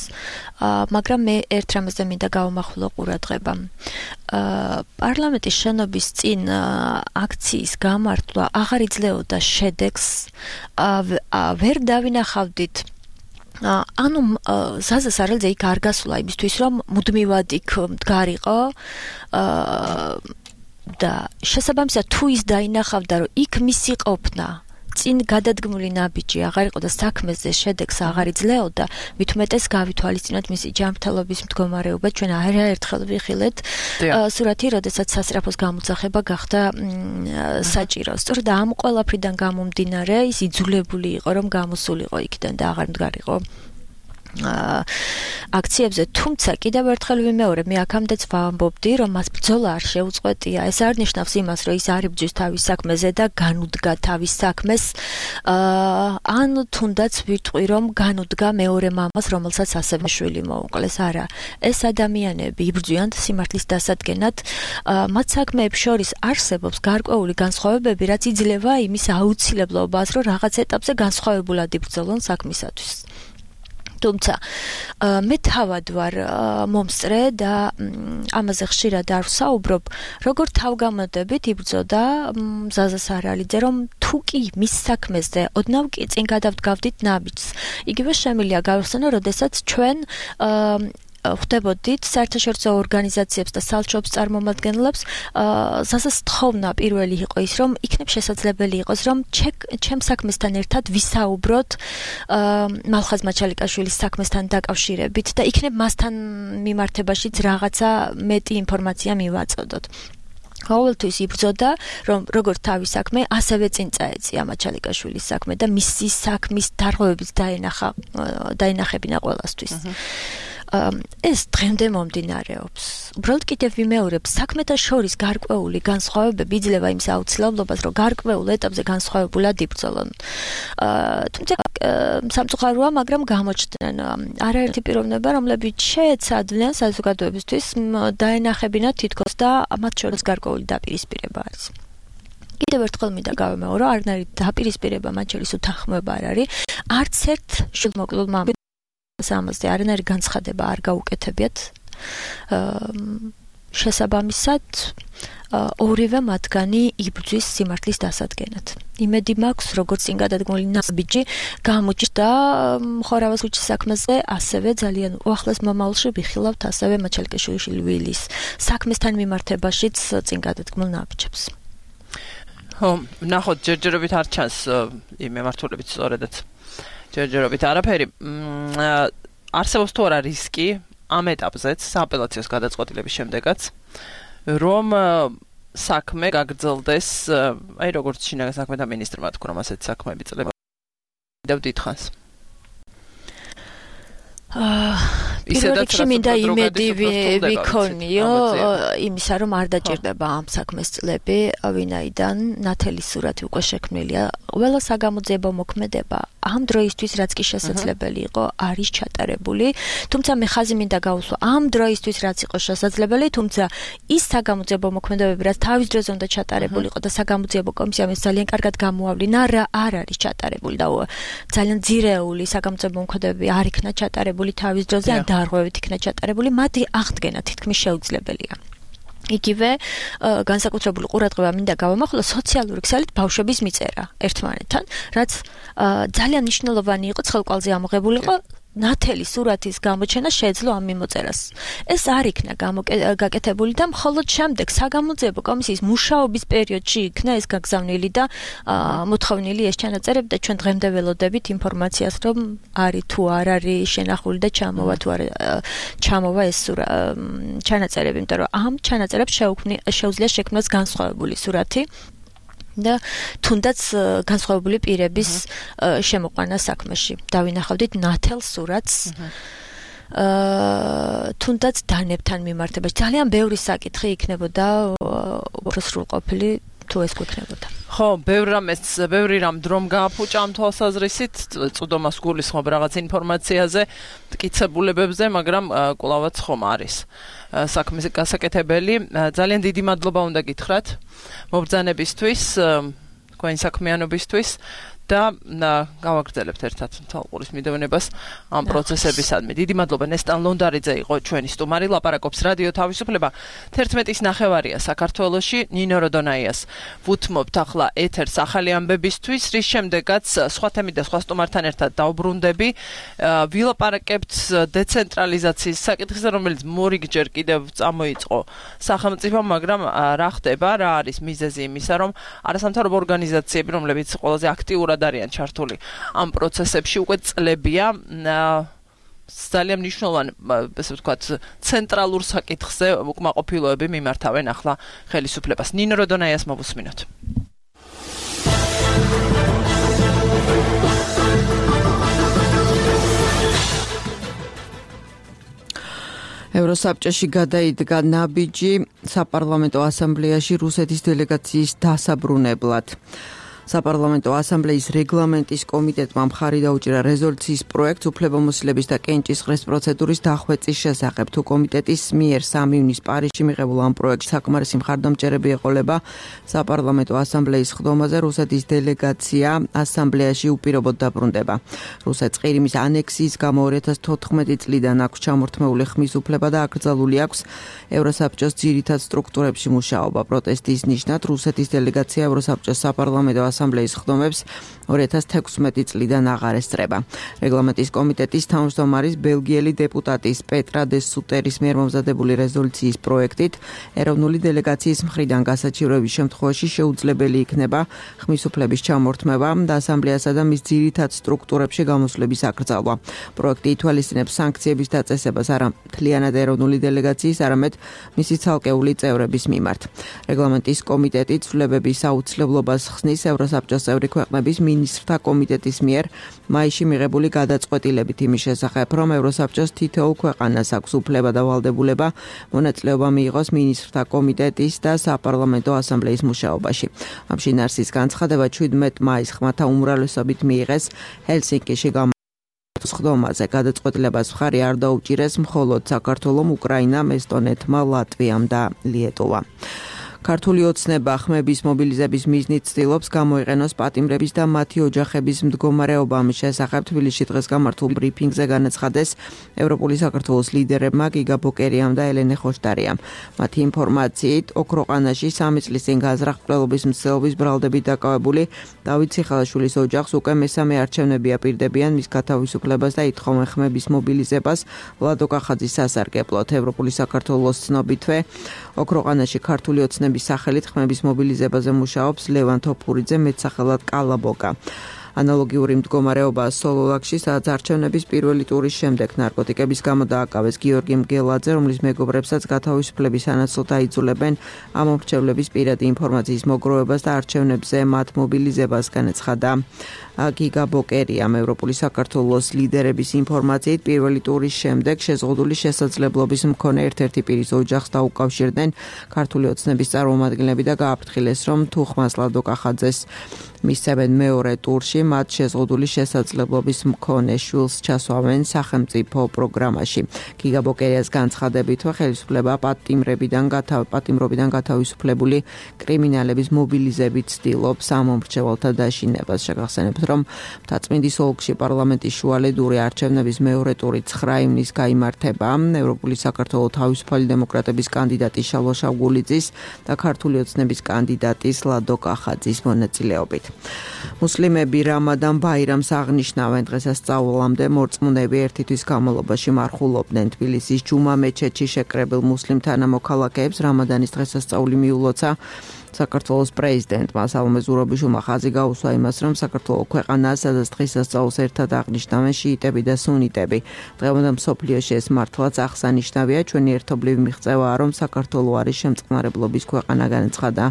მაგრამ მე ერთ რამაზე მინდა გავამახვილო ყურადღება პარლამენტის შენობის წინ აქციის გამართვა აღარ იძლეოდა შედეგს ვერ დავინახავდით ანუ ზაზა სარელძე იქ არ გასულა იმისთვის რომ მუდმივად იქ მდგარიყო და შესაბამისად თუ ის დაინახავდა რომ იქ მისი ყოფნა წინ გადადგმული ნაბიჯი აღარ იყო და საქმეზე შედეგს აღარ იძლეოდა, მით უმეტეს გავითვალისწინოთ მისი ჯანმრთელობის მდგომარეობა, ჩვენ არაერთხელ ვიხილეთ სურათი, როდესაც სასწრაფოს გამოძახება გახდა საჭირო. სწორედ ამ ყველაფრიდან გამომდინარე, ის იძულებული იყო, რომ გამოსულიყო იქიდან და აღარ მდგარიყო აქციებზე, თუმცა კიდევ ერთხელ ვიმეორებ, მე აქამდეც ვამბობდი, რომ მას ბრძოლა არ შეუწყვეტია. ეს არ ნიშნავს იმას, რომ ის არ იბრძვის თავის საქმეზე და განუდგა თავის საქმეს, ან თუნდაც ვიტყვი, რომ განუდგა მეორე მამას, რომელსაც ასევე შვილი მოუკლეს. არა, ეს ადამიანები იბრძვიან სიმართლის დასადგენად, მათ საქმეებს შორის არსებობს გარკვეული განსხვავებები, რაც იძლევა იმის აუცილებლობას, რომ რაღაც ეტაპზე განსხვავებულად იბრძოლონ საქმისათვის. თუმცა მე თავად ვარ მომსწრე და ამაზე ხშირად არ ვსაუბრობ, როგორ თავგამოდებით იბრძოდა ზაზა სარალიძე, რომ თუ კი მის საქმეზე ოდნავ კი წინ გადავდგავდით ნაბიჯს. იგივე შემიძლია გავიხსენო, როდესაც ჩვენ ხვდებოდით საერთაშორისო ორგანიზაციებს და სალჩოებს წარმომადგენლებს, ზაზას თხოვნა პირველი იყო ის, რომ იქნებ შესაძლებელი იყოს, რომ ჩემ საქმესთან ერთად ვისაუბროთ მალხაზ მაჩალიკაშვილის საქმესთან დაკავშირებით და იქნებ მასთან მიმართებაშიც რაღაცა მეტი ინფორმაცია მივაწოდოთ. ყოველთვის იბრძოდა, რომ როგორც თავის საქმე, ასევე წინ წაეწია მაჩალიკაშვილის საქმე და მისი საქმის დარღვევებიც დაენახა დაენახებინა ყველასთვის. ეს დღემდე მომდინარეობს. უბრალოდ კიდევ ვიმეორებ, საქმეთა შორის გარკვეული განსხვავებები იძლევა იმის აუცილებლობას, რომ გარკვეულ ეტაპზე განსხვავებულად იბრძოლონ. თუმცა სამწუხაროა, მაგრამ გამოჩნდნენ არაერთი პიროვნება, რომლებიც შეეცადნენ საზოგადოებისთვის დაენახებინათ თითქოს და მათ შორის გარკვეული დაპირისპირება არის. კიდევ ერთხელ მინდა გავიმეორო, არანაირი დაპირისპირება მათ შორის უთანხმოება არ არის. არც ერთ შვილმოკლულმა ამაზე არანაირი განცხადება არ გაუკეთებიათ. შესაბამისად, ორივე მათგანი იბრძვის სიმართლის დასადგენად. იმედი მაქვს, როგორც წინ გადადგმული ნაბიჯი გამოჩნდა ხორავას ქუჩის საქმეზე, ასევე ძალიან უახლეს მომავალში ვიხილავთ ასევე მაჩალიკაშვილის ვილის საქმესთან მიმართებაშიც წინ გადადგმულ ნაბიჯებს. ხო, ნახოთ, ჯერჯერობით არ ჩანს იმ მემართულებით სწორედაც. ჯერჯერობით არაფერი. არსებობს თუ არა რისკი ამ ეტაპზეც, სააპელაციო გადაწყვეტილების შემდეგაც, რომ საქმე გაგრძელდეს, აი როგორც შინაგან საქმეთა მინისტრმა თქვა, რომ ასეთ საქმეები წლება კიდევ დიდხანს. ისედაც რაც მინდა იმედი ვიქონიო იმისა რომ არ დაჭირდება ამ საქმეს წლები ვინაიდან ნათელის სურათი უკვე შექმნილია ყველა საგამოძიებო მოქმედება ამ დროისთვის რაც კი შესაძლებელი იყო არის ჩატარებული თუმცა მე ხაზი მინდა გავუსვა ამ დროისთვის რაც იყო შესაძლებელი თუმცა ის საგამოძიებო მოქმედებები რაც თავის დროზე უნდა ჩატარებული იყო და საგამოძიებო კომისიამ ეს ძალიან კარგად გამოავლინა რა არ არის ჩატარებული და ძალიან ძირეული საგამოძიებო მოქმედებები არ იქნა ჩატარებული თავის დროზე ან დარღვევით იქნა ჩატარებული მათი აღდგენა თითქმის შეუძლებელია იგივე განსაკუთრებული ყურადღება მინდა გავამახვილო სოციალური ქსელით ბავშვების მიწერა ერთმანეთთან რაც ძალიან მნიშვნელოვანი იყო ცხელყვალზე ამოღებულიყო ნათელი სურათის გამოჩენა შეეძლო ამ მიმოწერას. ეს არ იქნა გაკეთებული და მხოლოდ შემდეგ საგამოძიებო კომისიის მუშაობის პერიოდში იქნა ეს გაგზავნილი და მოთხოვნილი ეს ჩანაწერები და ჩვენ დღემდე ველოდებით ინფორმაციას რომ არის თუ არ არის შენახული და ჩამოვა თუ არ ჩამოვა ეს ჩანაწერები, იმიტომ რომ ამ ჩანაწერებს შეუძლია შექმნას განსხვავებული სურათი და თუნდაც განსხვავებული პირების შემოყვანა საქმეში. დავინახავდით ნათელ სურათს თუნდაც დანებთან მიმართებაში. ძალიან ბევრი საკითხი იქნებოდა უფრო სრულყოფილი თუ ეს გვექნებოდა. ხო, ბევრ რამეს, ბევრი რამ დრომ გააფუჭა ამ თვალსაზრისით, წვდომას გულისხმობ რაღაც ინფორმაციაზე, მტკიცებულებებზე, მაგრამ კვლავაც ხომ არის საქმის გასაკეთებელი. ძალიან დიდი მადლობა უნდა გითხრათ მობრძანებისთვის, თქვენი საქმიანობისთვის და გავაგრძელებთ ერთად თვალყურის მიდევნებას ამ პროცესებისადმი. დიდი მადლობა ნესტან ლონდარიძე იყო ჩვენი სტუმარი, ლაპარაკობს რადიო თავისუფლება. თერთმეტის ნახევარია საქართველოში, ნინო როდონაიას ვუთმობთ ახლა ეთერს ახალი ამბებისთვის, რის შემდეგაც სხვა თემით და სხვა სტუმართან ერთად დავბრუნდები. ვილაპარაკებთ დეცენტრალიზაციის საკითხზე, რომელიც მორიგჯერ კიდევ წამოიწყო სახელმწიფომ, მაგრამ რა ხდება, რა არის მიზეზი იმისა, რომ არასამთავრობო ორგანიზაციები, რომლებიც ყველაზე აქტიურად არიან ჩართული ამ პროცესებში უკვე წლებია ძალიან მნიშვნელოვანი ესე ვთქვათ ცენტრალურ საკითხზე უკმაყოფილოები მიმართავენ ახლა ხელისუფლებას. ნინო როდონაიას მოვუსმინოთ. ევროსაბჭოში გადაიდგა ნაბიჯი საპარლამენტო ასამბლეაში რუსეთის დელეგაციის დასაბრუნებლად. საპარლამენტო ასამბლეის რეგლამენტის კომიტეტმა მხარი დაუჭირა რეზოლუციის პროექტს უფლებამოსილების და კენჭისყრის პროცედურის დახვეწის შესახებ. თუ კომიტეტის მიერ სამი ივნის პარიზში მიღებულ ამ პროექტს საკმარისი მხარდამჭერები ეყოლება საპარლამენტო ასამბლეის ხდომაზე, რუსეთის დელეგაცია ასამბლეაში უპირობოდ დაბრუნდება. რუსეთს ყირიმის ანექსიის გამო ორი ათას თოთხმეტი წლიდან აქვს ჩამორთმეული ხმის უფლება და აკრძალული აქვს ევროსაბჭოს ძირითად სტრუქტურებში მუშაობა. პროტესტის ნიშნად რუსეთის დელეგაცია ევროსაბჭოს საპარლამენტო ასამბლეის ხდომებს ორი ათას თექვსმეტი წლიდან აღარ ესწრება. რეგლამენტის კომიტეტის თავმჯდომარის ბელგიელი დეპუტატის პეტრა დე სუტერის მიერ მომზადებული რეზოლუციის პროექტით ეროვნული დელეგაციის მხრიდან გასაჩივრების შემთხვევაში შეუძლებელი იქნება ხმის უფლების ჩამორთმევა და ასამბლეასა და მის ძირითად სტრუქტურებში გამოსვლების აკრძალვა. პროექტი ითვალისწინებს სანქციების დაწესებას არა მთლიანად ეროვნული დელეგაციის, არამედ მისი ცალკეული წევრების მიმართ. რეგლამენტის კომიტეტი ცვლილებების აუცილებლობას ხსნის ევროსაბჭოს წევრი ქვეყნების მინისტრთა კომიტეტის მიერ მაისში მიღებული გადაწყვეტილებით იმის შესახებ, რომ ევროსაბჭოს თითოეულ ქვეყანას აქვს უფლება და ვალდებულება მონაწილეობა მიიღოს მინისტრთა კომიტეტის და საპარლამენტო ასამბლეის მუშაობაში. ამ შინაარსის განცხადება შვიდმეტ მაისს ხმათა უმრავლესობით მიიღეს ჰელსინკიში ხდომაზე. გადაწყვეტილებას მხარი არ დაუჭირეს მხოლოდ საქართველომ, უკრაინამ, ესტონეთმა, ლატვიამ და ლიეტოვამ. ქართული ოცნება ხმების მობილიზების მიზნით ცდილობს გამოიყენოს პატიმრების და მათი ოჯახების მდგომარეობა. ამის შესახებ თბილისში დღეს გამართულ ბრიფინგზე განაცხადეს ევროპული საქართველოს ლიდერებმა გიგა ბოკერიამ და ელენე ხოშტარიამ. მათი ინფორმაციით, ოქროყანაში სამი წლის წინ გაზრახ-მკვლელობის მცდელობის ბრალდებით დაკავებული დავით ციხალაშვილის ოჯახს უკვე მესამე არჩევნები აპირდებიან მის გათავისუფლებას და ითხოვენ ხმების მობილიზებას ლადო კახაძის სასარგებლოდ. ევროპული საქართველოს ცნობითვე ოქროყანაში ქართული ოცნების სახელით ხმების მობილიზებაზე მუშაობს ლევან თოფურიძე, მეტსახელად კალაბოკა. ანალოგიური მდგომარეობა სოლოლაკში, სადაც არჩევნების პირველი ტურის შემდეგ ნარკოტიკების გამო დააკავეს გიორგი მგელაძე, რომლის მეგობრებსაც გათავისუფლების სანაცვლოდ აიძულებენ ამომრჩევლების პირადი ინფორმაციის მოგროვებას და არჩევნებზე მათ მობილიზებას განაცხადა. გიგა ბოკერიამ ევროპული საქართველოს ლიდერების ინფორმაციით პირველი ტურის შემდეგ შეზღუდული შესაძლებლობის მქონე ერთ-ერთი პირის ოჯახს დაუკავშირდნენ ქართული ოცნების წარმომადგენლები და გააფრთხილეს, რომ თუ ხმას ლადო კახაძეს მისცემენ მეორე ტურში, მათ შეზღუდული შესაძლებლობის მქონე შვილს ჩასვავენ სახელმწიფო პროგრამაში. გიგა ბოკერიას განცხადებით, ხელისუფლება პატიმრებიდან პატიმრობიდან გათავისუფლებული კრიმინალების მობილიზებით ცდილობს ამომრჩეველთა დაშინებას. შეგახსენებთ, რომ მთაწმინდის ოლქში პარლამენტის შუალედური არჩევნების მეორე ტური ცხრა ივნის გაიმართება. ევროპული საქართველოს თავისუფალი დემოკრატების კანდიდატი შალვა შავგულიძის და ქართული ოცნების კანდიდატის ლადო კახაძის მონაწილეობით. მუსლიმები რამადან ბაირამს აღნიშნავენ. დღესასწაულამდე მორწმუნეები ერთი თვის განმავლობაში მარხულობდნენ. თბილისის ჯუმა მეჩეთში შეკრებილ მუსლიმ თანამოქალაქეებს რამადანის დღესასწაული მიულოცა. საქართველოს პრეზიდენტმა სალომე ზურაბიშვილმა ხაზი გაუსვა იმას, რომ საქართველოს ქვეყანაა, სადაც დღესასწაულს ერთად აღნიშნავენ შიიტები და სუნიტები. დღევანდელ მსოფლიოში ეს მართლაც აღსანიშნავია. ჩვენი ერთობლივი მიღწევაა, რომ საქართველოს არის შემწყნარებლობის ქვეყანა, განაცხადა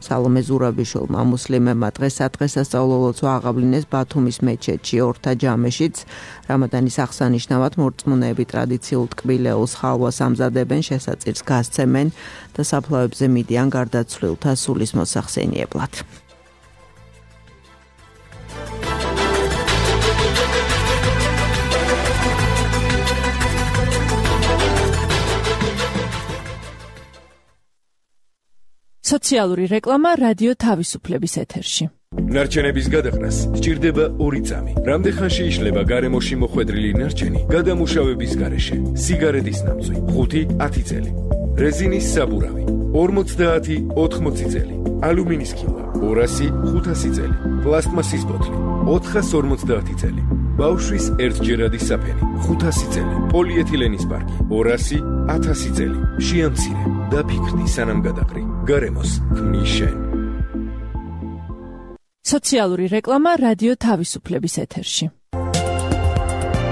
სალომე ზურაბიშვილმა. მუსლიმებმა დღეს სადღესასწაულო ლოცვა აღავლინეს ბათუმის მეჩეთში, ორთა ჯამეშიც. რამადანის აღსანიშნავად მორწმუნეები ტრადიციულ ტკბილეულს ხალვას ამზადებენ, შესაწირს გასცემენ და საფლავებზე მიდიან გარდაცვლილთა სულის მოსახსენიებლად. სოციალური რეკლამა რადიო თავისუფლების ეთერში. ნარჩენების გადაყრას სჭირდება ორი წამი. რამდენხანში იშლება გარემოში მოხვედრილი ნარჩენი გადამუშავების გარეშე? სიგარეტის ნამწვი ხუთი ათი წელი, რეზინის საბურავი ორმოცდაათი ოთხმოცი წელი, ალუმინის ქილა ორასი ხუთასი წელი, პლასტმასის ბოთლი ოთხას ორმოცდაათი წელი, ბავშვის ერთჯერადი საფენი ხუთასი წელი, პოლიეთილენის პარკი ორასი ათასი წელი. შეამცირე და ფიქრდი სანამ გადაყრი. გარემოს ქმნის შენ. სოციალური რეკლამა რადიო თავისუფლების ეთერში.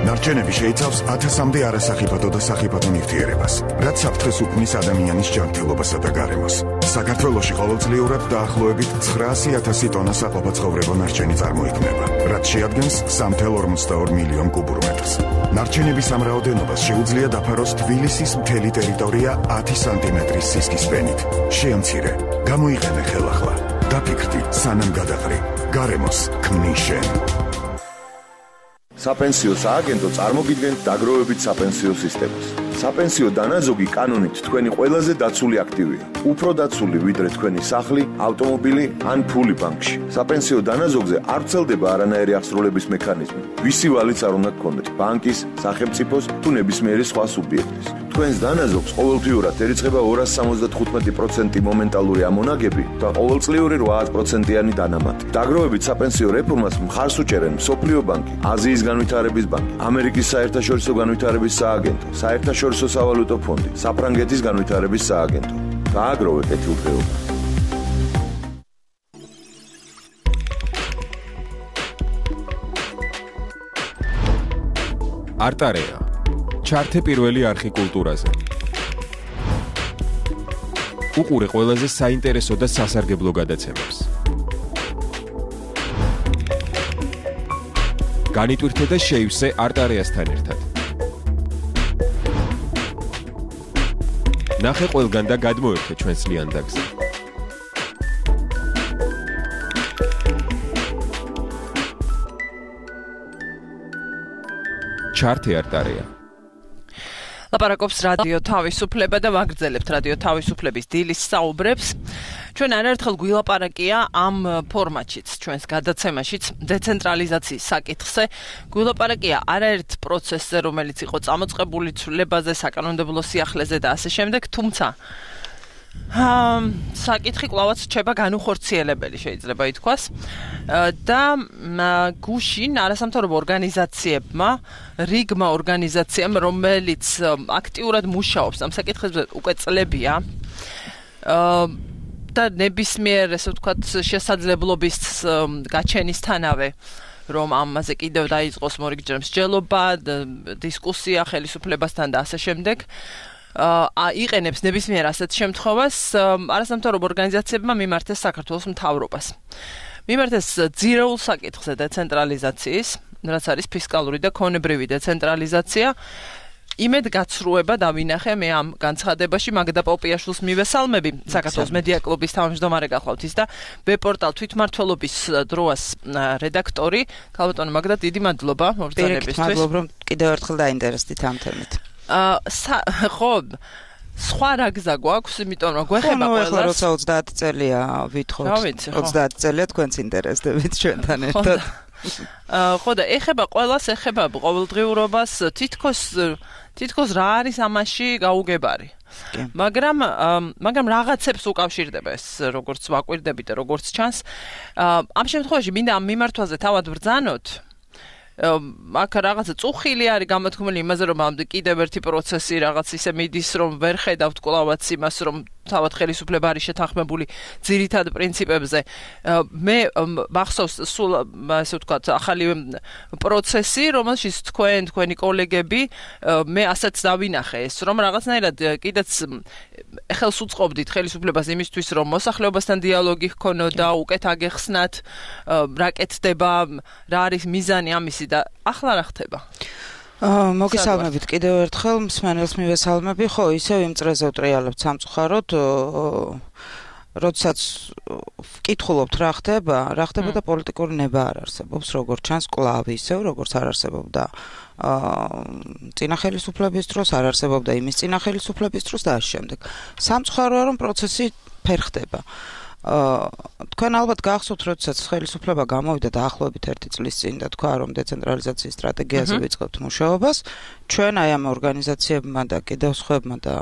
ნარჩენები შეიცავს ათასამდე არასახიფათო და სახიფათო ნივთიერებას, რაც საფრთხეს უქმნის ადამიანის ჯანმრთელობასა და გარემოს. საქართველოში ყოველწლიურად დაახლოებით ცხრაასი ათასი ტონა საყოფაცხოვრებო ნარჩენი წარმოიქმნება, რაც შეადგენს სამი ათას ორმოცდაორი მილიონ კუბურ მეტრს. ნარჩენების ამ რაოდენობას შეუძლია დაფაროს თბილისის მთელი ტერიტორია ათი სანტიმეტრის სისქის ფენით. შეამცირე, გამოიყენე ხელახლა. დაფიქრდი სანამ გადაყრი. გარემოს ქმნის შენ. საპენსიო სააგენტო წარმოგიდგენთ დაგროვებით საპენსიო სისტემას. საპენსიო დანაზოგი კანონით თქვენი ყველაზე დაცული აქტივია. უფრო დაცული ვიდრე თქვენი სახლი, ავტომობილი ან ფული ბანკში. საპენსიო დანაზოგზე არ ვრცელდება არანაირი აღსრულების მექანიზმი. ვისი ვალიც არ უნდა გქონდეთ, ბანკის, სახელმწიფოს თუ ნებისმიერი სხვა სუბიექტის. თქვენს დანაზოგს ყოველთვიურად ერიცხება ორას სამოცდათხუთმეტი პროცენტი მომენტალური ამონაგები და ყოველწლიური რვა პროცენტიანი დანამატი. დაგროვებით საპენსიო რეფორმას მხარს უჭერენ მსოფლიო ბანკი, აზიის განვითარების ბანკი, ამერიკის საერთაშორისო განვითარების სააგენტო, საერთაშორისო სავალუტო ფონდი, საფრანგეთის განვითარების სააგენტო. გააგროვე კეთილდღეობა. არტარეა. ჩართე პირველი არხი კულტურაზე. უყურე ყველაზე საინტერესო და სასარგებლო გადაცემებს. განიტვირთე და შეივსე არტარეასთან ერთად. ნახე ყველგან და გადმოერთე ჩვენს ლიანდაგზე. ჩართე არტარეა. ლაპარაკობს რადიო თავისუფლება და ვაგრძელებთ რადიო თავისუფლების დილის საუბრებს. ჩვენ არაერთხელ გვილაპარაკია ამ ფორმატშიც, ჩვენს გადაცემაშიც დეცენტრალიზაციის საკითხზე. გვილაპარაკია არაერთ პროცესზე, რომელიც იყო წამოწყებული ცვლილებაზე, საკანონმდებლო სიახლეზე და ასე შემდეგ, თუმცა საკითხი კვლავაც რჩება განუხორციელებელი, შეიძლება ითქვას. და გუშინ არასამთავრობო ორგანიზაციებმა, რიგმა ორგანიზაციამ, რომელიც აქტიურად მუშაობს ამ საკითხებზე უკვე წლებია, და ნებისმიერ, ესე ვთქვათ, შესაძლებლობის გაჩენისთანავე რომ ამაზე კიდევ დაიწყოს მორიგჯერ მსჯელობა, დისკუსია ხელისუფლებასთან და ასე შემდეგ. აა იყენებს ნებისმიერ ასეთ შემთხვევას არასამთავრობო ორგანიზაციებმა მიმართეს საქართველოს მთავრობას. მიმართეს ძირეულ საკითხზე დეცენტრალიზაციის, რაც არის ფისკალური და ქონებრივი დეცენტრალიზაცია. იმედ გაცრუება დავინახე მე ამ განცხადებაში მაგდა პოპიაშვილს მივესალმები საქართველოს მედია კლუბის თავმჯდომარე გახლავთ ის და ვებ-პორტალ თვითმმართველობის დროას რედაქტორი ქალბატონო მაგდა დიდი მადლობა მოგზაურობისთვის. მადლობ რომ კიდევ ერთხელ დაინტერესდით ამ თემით. აა ხო სხვა რა გზა გვაქვს, იმიტომ რომ გვეხება ყველას. ხო, როცა ოცდაათი წელია ვითხოვთ. ოცდაათი წელია თქვენც ინტერესდებით ჩვენთან ერთად. აა ხო და ეხება ყველას, ეხება ყოველდღიურობას, თითქოს თითქოს რა არის ამაში გაუგებარი. მაგრამ მაგრამ რაღაცებს უკავშირდება ეს როგორც ვაკვირდებით და როგორც ჩანს. ამ შემთხვევაში მინდა ამ მიმართვაზე თავად ვბრძანოთ. აქ რაღაცა წუხილი არის გამოთქმული იმაზე რომ ამ კიდევ ერთი პროცესი რაღაც ისე მიდის რომ ვერ ხედავთ კლავაც იმას რომ თავად ხელისუფლება არის შეთანხმებული ძირითად პრინციპებზე. მე მახსოვს სულ ასე ვთქვათ ახალი პროცესი რომელშიც თქვენ თქვენი კოლეგები მე ასეც დავინახე ეს რომ რაღაცნაირად კიდეც ხელს უწყობდით ხელისუფლებას იმისთვის რომ მოსახლეობასთან დიალოგი ჰქონოდა უკეთ აგეხსნათ რა კეთდება რა არის მიზანი ამისი და ახლა რა ხდება? მოგესალმებით კიდევ ერთხელ მსმენელს მივესალმები ხო ისევ იმ წრეზე ვტრიალებთ სამწუხაროდ როდესაც ვკითხულობთ რა ხდება რა ხდება და პოლიტიკური ნება არ არსებობს როგორც ჩანს კვლავ ისევ როგორც არ არსებობდა წინა ხელისუფლების დროს არ არსებობდა იმის წინა ხელისუფლების დროს და ამ შემდეგ სამწუხაროა რომ პროცესი ფერხდება თქვენ ალბათ გახსოვთ, როდესაც ხელისუფლება გამოვიდა დაახლოებით ერთი წლის წინ და თქვა, რომ დეცენტრალიზაციის სტრატეგიაზე ვიწყებთ მუშაობას, ჩვენ აი ამ ორგანიზაციებმა და კიდევ სხვებმა და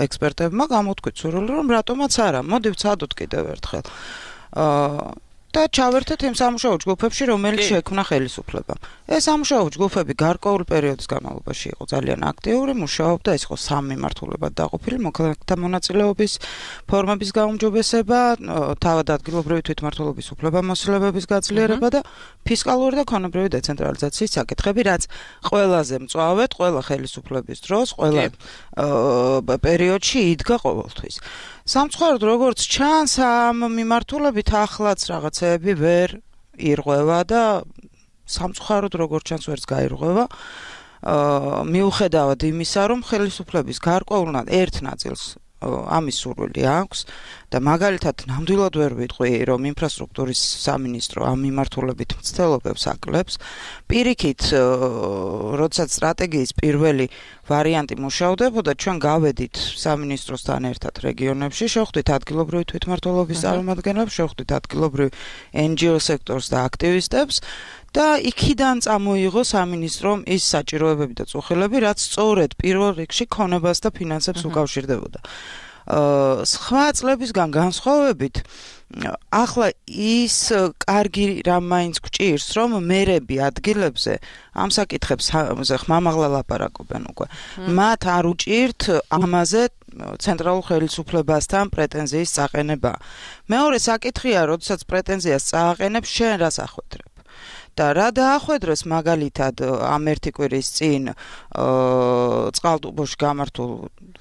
ექსპერტებმა გამოთქვით სურვილი, რომ რატომაც არა, მოდი ვცადოთ კიდევ ერთხელ. და ჩავერთეთ იმ სამუშაო ჯგუფებში, რომელიც შექმნა ხელისუფლებამ. ეს სამუშაო ჯგუფები გარკვეულ პერიოდის განმავლობაში იყო ძალიან აქტიური, მუშაობდა, ეს იყო სამი მიმართულებად დაყოფილი, მოქალაქეთა მონაწილეობის ფორმების გაუმჯობესება, თავად ადგილობრივი თვითმმართველობის უფლებამოსილებების გაძლიერება და ფისკალური და ქონებრივი დეცენტრალიზაციის საკითხები, რაც ყველაზე მწვავედ, ყველა ხელისუფლების დროს, ყველა პერიოდში იდგა ყოველთვის. სამწუხაროდ როგორც ჩანს ამ მიმართულებით ახლაც რაღაცეები ვერ ირღვევა და სამწუხაროდ როგორც ჩანს ვერც გაირღვევა მიუხედავად იმისა რომ ხელისუფლების გარკვეულ ერთ ნაწილს ამის სურვილი აქვს და მაგალითად ნამდვილად ვერ ვიტყვი რომ ინფრასტრუქტურის სამინისტრო ამ მიმართულებით მცდელობებს აკლებს პირიქით როდესაც სტრატეგიის პირველი ვარიანტი მუშავდებოდა ჩვენ გავედით სამინისტროსთან ერთად რეგიონებში შევხვდით ადგილობრივი თვითმმართველობის წარმომადგენლებს შევხვდით ადგილობრივ εν ჯი ო სექტორს და აქტივისტებს და იქიდან წამოიღო სამინისტრომ ის საჭიროებები და წუხილები, რაც სწორედ პირველ რიგში ქონებას და ფინანსებს უკავშირდებოდა. სხვა წლებისგან განსხვავებით, ახლა ის კარგი რამ მაინც გვჭირს, რომ მერები ადგილებზე ამ საკითხებს ხმამაღლა ლაპარაკობენ უკვე. მათ არ უჭირთ ამაზე ცენტრალურ ხელისუფლებასთან პრეტენზიის წაყენება. მეორე საკითხია, როდესაც პრეტენზიას წააყენებს, შენ რას ახვედრებ? და რა დაახვედრეს მაგალითად ამ ერთი კვირის წინ წყალტუბოში გამართულ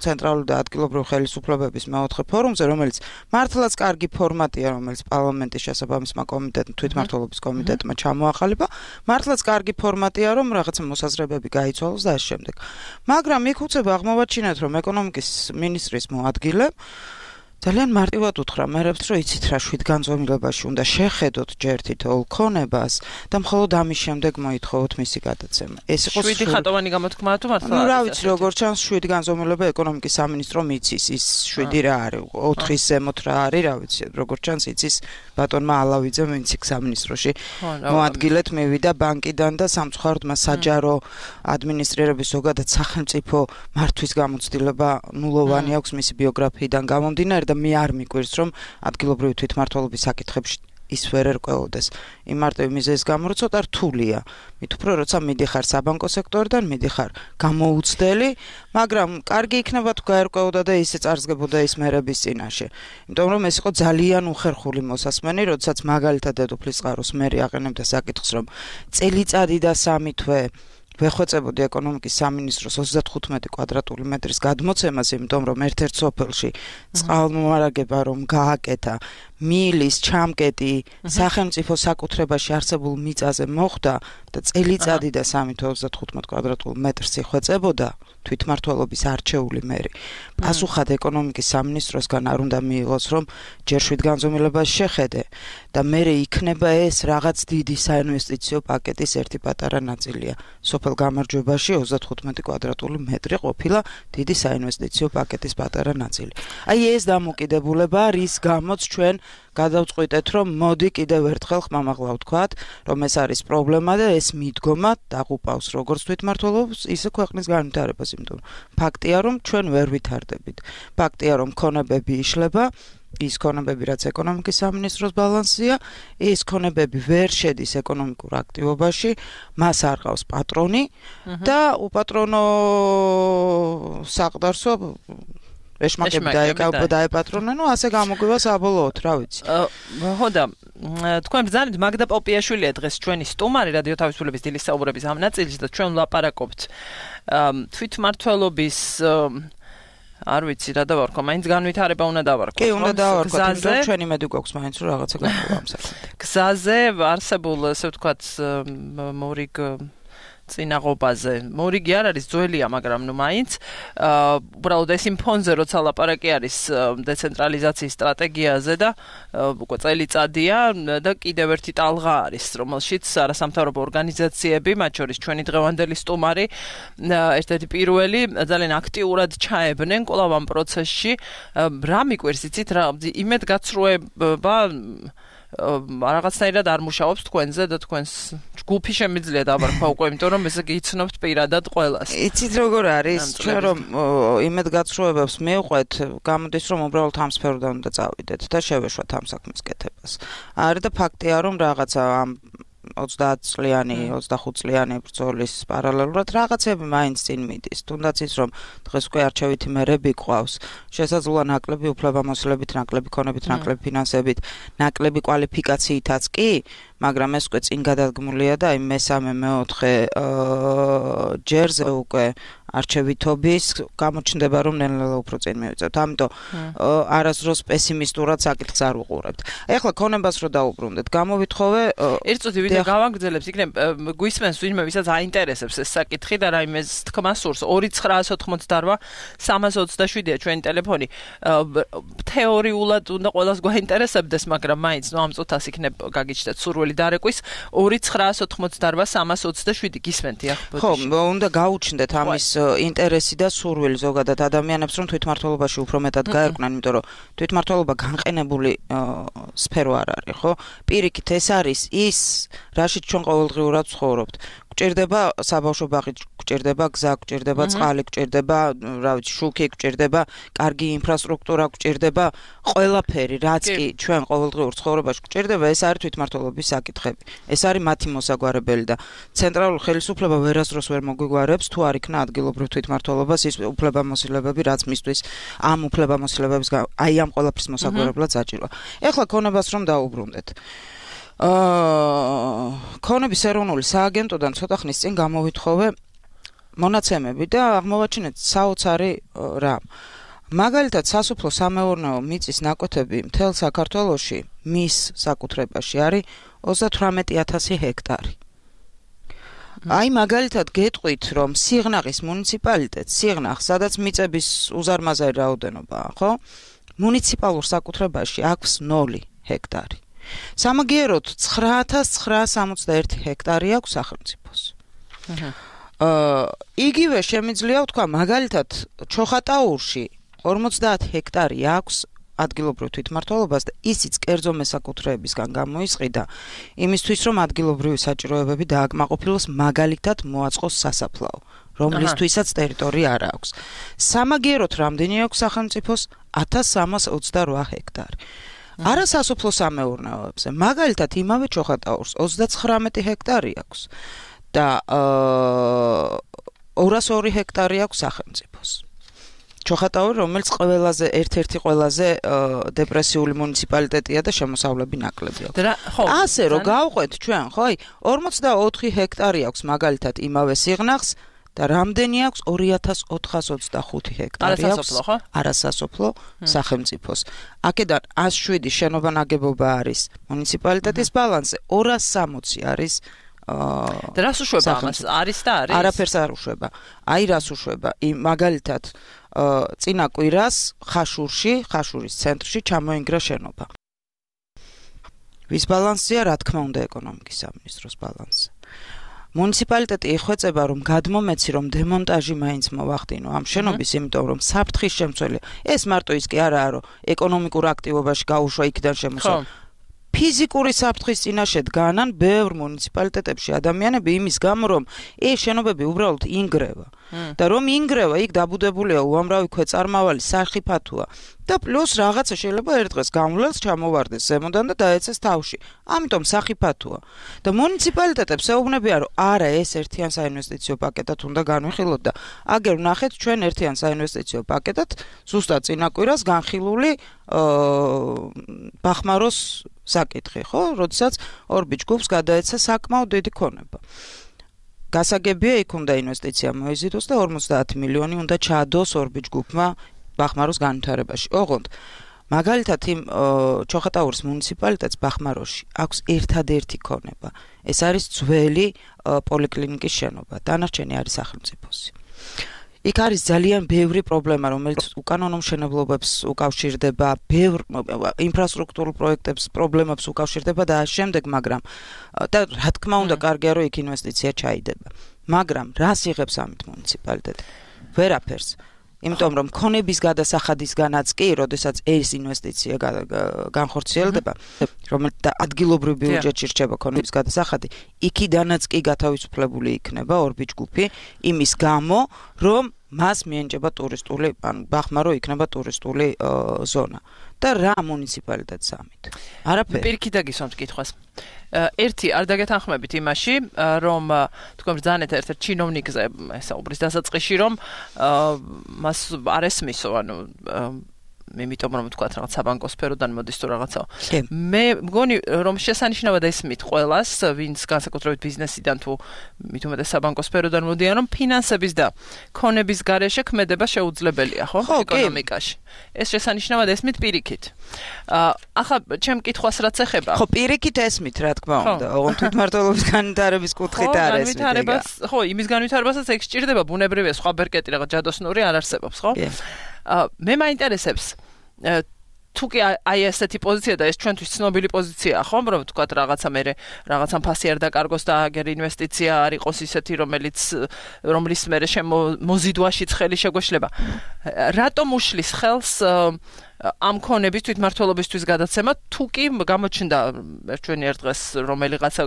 ცენტრალური და ადგილობრივი ხელისუფლებების მეოთხე ფორუმზე, რომელიც მართლაც კარგი ფორმატია, რომელიც პარლამენტის შესაბამისმა კომიტეტმა, თვითმმართველობის კომიტეტმა ჩამოახალება, მართლაც კარგი ფორმატია, რომ რაღაცა მოსაზრებები გაიცვალოს და ამ შემდეგ. მაგრამ იქ უცებ აღმოვაჩინეთ, რომ ეკონომიკის მინისტრის მოადგილე ძალიან მარტივად უთხრა მერებს, რომ იცით რა შვიდგანზომილებაში უნდა შეხედოთ ჯერ თითოეულ ქონებას და მხოლოდ ამის შემდეგ მოითხოვოთ მისი გადაცემა. ეს იყო შვიდი ხატოვანი გამოთქმა თუ მართლა? ნუ რა ვიცი, როგორც ჩანს შვიდგანზომილება ეკონომიკის სამინისტრომ იცის, ის შვიდი რა არის, ოთხის ზემოთ რა არის, რა ვიცი, როგორც ჩანს იცის ბატონმა ალავიძემ ინციკ სამინისტროში მოადგილეთ მივიდა ბანკიდან და სამწუხაროდ მას საჯარო ადმინისტრირების ზოგადად სახელმწიფო მართვის გამოცდილება ნულოვანი აქვს მისი ბიოგრაფიიდან გამომდინარე და მე არ მიკვირს რომ ადგილობრივი თვითმმართველობის საკითხებში ის ვერ ერკვეოდეს. იმ მარტივი მიზეზის გამო ცოტა რთულია. მით უფრო როცა მიდიხარ საბანკო სექტორიდან, მიდიხარ გამოუცდელი, მაგრამ კარგი იქნება თუ გაერკვეოდა და ისე წარსგებოდა ის მერების წინაშე. იმიტომ რომ ეს იყო ძალიან უხერხული მოსასმენი, როდესაც მაგალითად დედოფლის წყაროს მერი აყენებდა საკითხს, რომ წელიწადი და სამი თვე ვეხვეწებოდი ეკონომიკის სამინისტროს ოცდათხუთმეტი კვადრატული მეტრის გადმოცემას, იმიტომ რომ ერთ-ერთ სოფელში წყალმომარაგება რომ გააკეთა, მილის ჩამკეტი სახელმწიფო საკუთრებაში არსებულ მიწაზე მოხდა და წელიწადი და სამი თვე ოცდათხუთმეტ კვადრატულ მეტრს იხვეწებოდა თვითმმართველობის არჩეული მერი. პასუხად ეკონომიკის სამინისტროსგან არ უნდა მიიღოს, რომ ჯერ შვიდ განზომილებას შეხედე და მერე იქნება ეს რაღაც დიდი საინვესტიციო პაკეტის ერთი პატარა ნაწილია. სოფელ გამარჯვებაში ოცდათხუთმეტი კვადრატული მეტრი ყოფილა დიდი საინვესტიციო პაკეტის პატარა ნაწილი. აი ეს დამოკიდებულება, რის გამოც ჩვენ გადავწყვიტეთ, რომ მოდი კიდევ ერთხელ ხმამაღლა ვთქვათ, რომ ეს არის პრობლემა და ეს მიდგომა დაღუპავს როგორც თვითმმართველობას, ისე ქვეყნის განვითარებას, იმიტომ ფაქტია, რომ ჩვენ ვერ ვითარდებით. ფაქტია, რომ ქონებები იშლება, ის ქონებები, რაც ეკონომიკის სამინისტროს ბალანსია, ეს ქონებები ვერ შედის ეკონომიკურ აქტივობაში, მას არ ყავს პატრონი და უპატრონო საყდარსო ეშმაკები დაეპატრონენ, ნუ ასე გამოგვივა საბოლოოდ, რა ვიცი. ხო და თქვენ ბრძანეთ მაგდა პოპიაშვილია დღეს ჩვენი სტუმარი რადიო თავისუფლების დილის საუბრების ამ ნაწილში და ჩვენ ვლაპარაკობთ თვითმმართველობის არ ვიცი რა დავარქვა, მაინც განვითარება უნდა დავარქვა. კი, უნდა დავარქვა, იმიტომ ჩვენი მედი გვაქვს მაინც რომ რაღაცა გამოვა ამ საკითხით. გზაზე არსებულ, ასე ვთქვათ, მორიგ წინაღობაზე. მორიგი არ არის ძველია, მაგრამ ნუ მაინც უბრალოდ ეს იმ ფონზე როცა ლაპარაკი არის დეცენტრალიზაციის სტრატეგიაზე და უკვე წელიწადია და კიდევ ერთი ტალღა არის, რომელშიც არასამთავრობო ორგანიზაციები, მათ შორის ჩვენი დღევანდელი სტუმარი, ერთ-ერთი პირველი ძალიან აქტიურად ჩაებნენ კვლავ ამ პროცესში. რა მიკვირს იცით რა იმედგაცრუება რაღაცნაირად არ მუშაობს თქვენზე და თქვენს ჯგუფი შემიძლია დავარქვა უკვე, იმიტომ რომ ესე გიცნობთ პირადად ყველას. იცით როგორ არის? ჩვენ რომ იმედგაცრუებებს მივყვეთ, გამოდის რომ უბრალოდ ამ სფეროდან უნდა წავიდეთ და შევეშვათ ამ საქმის კეთებას. არა და ფაქტია რომ რაღაცა ამ ოცდაათ წლიანი, ოცდახუთ წლიანი ბრძოლის პარალელურად რაღაცები მაინც წინ მიდის. თუნდაც ის რომ დღეს უკვე არჩევითი მერები ყავს, შესაძლოა ნაკლები უფლებამოსილებით, ნაკლები ქონებით, ნაკლები ფინანსებით, ნაკლები კვალიფიკაციითაც კი, მაგრამ ეს უკვე წინ გადადგმულია და აი მესამე მეოთხე ჯერზე უკვე არჩევითობის გამოჩნდება რომ ნელ-ნელა უფრო წინ მივიწევთ. ამიტომ არასდროს პესიმისტურად საკითხს არ უყურებთ. ეხლა ქონებას რო დაუბრუნდეთ, გამოვითხოვე ერთ წუთი ვიდეო გავაგრძელებს, იქნებ გვისმენს ვინმე ვისაც აინტერესებს ეს საკითხი და რაიმეს თქმა სურს ორი ცხრაას ოთხმოცდაოთხ სამას ოცდაშვიდია ჩვენი ტელეფონი. თეორიულად უნდა ყველას გვაინტერესებდეს, მაგრამ მაინც ნუ ამ წუთას იქნებ გაგიჩნდეთ სურვილი დარეკვის ორი ცხრაას ოთხმოცდაოთხ სამას ოცდაშვიდი გისმენთ ახ. ხო, უნდა გაუჩნდეთ ამის ინტერესი და სურვილი ზოგადად ადამიანებს რომ თვითმმართველობაში უფრო მეტად გაერკვნენ, იმიტომ რომ თვითმმართველობა განყენებული სფერო არ არის, ხო? პირიქით ეს არის ის, რაშიც ჩვენ ყოველდღიურად ვცხოვრობთ. გჭირდება საბავშვო ბაღი, გჭირდება გზა, გჭირდება წყალი, გჭირდება, რა ვიცი, შუქი, გჭირდება კარგი ინფრასტრუქტურა, გჭირდება ყველაფერი, რაც კი ჩვენ ყოველდღიურ ცხოვრებაში გჭირდება, ეს არის თვითმმართველობის საკითხები. ეს არის მათი მოსაგვარებელი და ცენტრალური ხელისუფლება ვერასდროს ვერ მოგვიგوارებს თუ არ იქნა ადგილობრივ თვითმმართველობას ის უფლებამოსილებები, რაც მისთვის ამ უფლებამოსილებების აი ამ ყველაფრის მოსაგვარებლად საჭიროა. ეხლა ქონებას რომ დაუბრუნდეთ. აა ქონების ეროვნული სააგენტოდან ცოტა ხნის წინ გამოვითხოვე მონაცემები და აღმოვაჩინეთ საოცარი რამ. მაგალითად, სასოფლო სამეურნეო მიწის ნაკვეთები მთელ საქართველოში მის საკუთრებაში არის ოცდათვრამეტი ათასი ჰექტარი. აი მაგალითად გეტყვით, რომ სიღნაღის მუნიციპალიტეტს, სიღნაღს, სადაც მიწების უზარმაზარი რაოდენობაა, ხო? მუნიციპალურ საკუთრებაში აქვს ნული ჰექტარი. სამაგიეროდ ცხრა ათას ცხრაას სამოცდაერთი ჰექტარი აქვს სახელმწიფოს. აა იგივე შემიძლია ვთქვა, მაგალითად, ჩოხატაურში ორმოცდაათ ჰექტარი აქვს ადგილობრივ თვითმმართველობას და ისიც კერძო მესაკუთრეებისგან გამოისყიდა იმისთვის, რომ ადგილობრივი საჭიროებები დააკმაყოფილოს, მაგალითად მოაწყოს სასაფლაო, რომლისთვისაც ტერიტორია არ აქვს. სამაგიეროდ რამდენი აქვს სახელმწიფოს? ათას სამას ოცდარვა ჰექტარი. არა სასოფლო სამეურნეოებზე. მაგალითად, იმავე ჩოხატაურს ოცდაცხრამეტი ჰექტარი აქვს და ორას ორი ჰექტარი აქვს სახელმწიფოს. ჩოხატაური, რომელიც ყველაზე ერთ-ერთი ყველაზე დეპრესიული მუნიციპალიტეტია და შემოსავლები ნაკლები აქვს. ასე რომ გავყვეთ ჩვენ, ხო, აი ორმოცდაოთხი ჰექტარი აქვს მაგალითად იმავე სიღნაღს და რამდენი აქვს ორი ათას ოთხას ოცდახუთი ჰექტარი აქვს არასასოფლო სახელმწიფოს. აქედან ათას შვიდი შენობა ნაგებობა არის მუნიციპალიტეტის ბალანსზე, ორას სამოცი არის და რას უშვება ამას? არის და არის? არაფერს არ უშვება. აი რას უშვება? მაგალითად წინა კვირას ხაშურში, ხაშურის ცენტრში ჩამოინგრა შენობა. ვის ბალანსია? რა თქმა უნდა, ეკონომიკის სამინისტროს ბალანსზე. მუნიციპალიტეტი იხვეწება, რომ გადმომეცი, რომ დემონტაჟი მაინც მოვახდინო ამ შენობის, იმიტომ რომ საფრთხის შემცველი. ეს მარტო ის კი არაა, რომ ეკონომიკურ აქტივობაში გაუშვა იქიდან შემოსვა. ფიზიკური საფრთხის წინაშე დგანან ბევრ მუნიციპალიტეტებში ადამიანები იმის გამო, რომ ეს შენობები უბრალოდ ინგრევა. და რომ ინგრევა, იქ დაბუდებულია უამრავი ქვეწარმავალი, სახიფათოა. და პლუს რაღაცა შეიძლება ერთ დღეს გამვლელს ჩამოვარდეს ზემოდან და დაეცეს თავში. ამიტომ სახიფათოა. და მუნიციპალიტეტებს ეუბნებიან, რომ არა, ეს ერთიან საინვესტიციო პაკეტად უნდა განვიხილოთ და აგერ ვნახეთ ჩვენ ერთიან საინვესტიციო პაკეტად ზუსტად წინა კვირას განხილული ბახმაროს საკითხი, ხო? როდესაც ორბიჯ გუნდს გადაეცა საკმაოდ დიდი ქონება. გასაგებია, იქ უნდა ინვესტიცია მოიზიდოს და ორმოცდაათი მილიონი უნდა ჩაადოს ორბიჯ გუნდმა ბახმაროს განვითარებაში. ოღონდ მაგალითად იმ ჩოხატაურის მუნიციპალიტეტს ბახმაროში აქვს ერთადერთი ქონება. ეს არის ძველი პოლიკლინიკის შენობა. დანარჩენი არის სახელმწიფოსი. იქ არის ძალიან ბევრი პრობლემა, რომელიც უკანონო მშენებლობებს უკავშირდება, ბევრ ინფრასტრუქტურულ პროექტებს, პრობლემებს უკავშირდება და ამ შემდეგ, მაგრამ და რა თქმა უნდა, კარგია რომ იქ ინვესტიცია ჩაიდება. მაგრამ რას იღებს ამით მუნიციპალიტეტი? ვერაფერს. იმიტომ რომ ქონების გადასახადისგანაც კი, როდესაც ეს ინვესტიცია განხორციელდება, რომელიც ადგილობრივ ბიუჯეტში რჩება ქონების გადასახადი, იქიდანაც კი გათავისუფლებული იქნება ორბიჯ გუნდი იმის გამო, რომ მას მიენჭება ტურისტული, ანუ ბახმარო იქნება ტურისტული ზონა. და რა მუნიციპალიტეტს ამით? არაფერი. პირიქით დაგისვამთ კითხვას. ერთი არ დაგეთანხმებით იმაში, რომ თქვენ ბრძანეთ ერთ-ერთ ჩინოვნიკზე ესაუბრის დასაწყისში, რომ მას არ ესმისო, ანუ იმიტომ რომ თქვა რაღაც საბანკო სფეროდან მოდის თუ რაღაცა. მე მგონი რომ შესანიშნავად ესმით ყველას, ვინც განსაკუთრებით ბიზნესიდან თუ მით უმეტეს საბანკო სფეროდან მოდიან, რომ ფინანსების და ქონების გარეშე ქმედება შეუძლებელია, ხო? ეკონომიკაში. ეს შესანიშნავად ესმით პირიქით. ახლა ჩემ კითხვას რაც ეხება. ხო, პირიქით ესმით, რა თქმა უნდა. ოღონდ თვითმმართველობის განვითარების კუთხით არ ესმით. ხო, იმის განვითარებასაც ეგ სჭირდება, ბუნებრივია, სხვა ბერკეტი რაღაც ჯადოსნური არ არსებობს, ხო? მე მაინტერესებს თუ კი აი ესეთი პოზიცია და ეს ჩვენთვის ცნობილი პოზიციაა, ხო, რომ თქვათ რაღაცა მე რაღაცა ფასი არ დაკარგოს და აგერ ინვესტიცია არ იყოს ისეთი, რომელიც რომლის მე შემოზიდვაშიც ხელი შეგვეშლება. რატომ უშლის ხელს ამ ქონების თვითმმართველობისთვის გადაცემა, თუ კი გამოჩნდა ჩვენი ერთ დღეს რომელიღაცა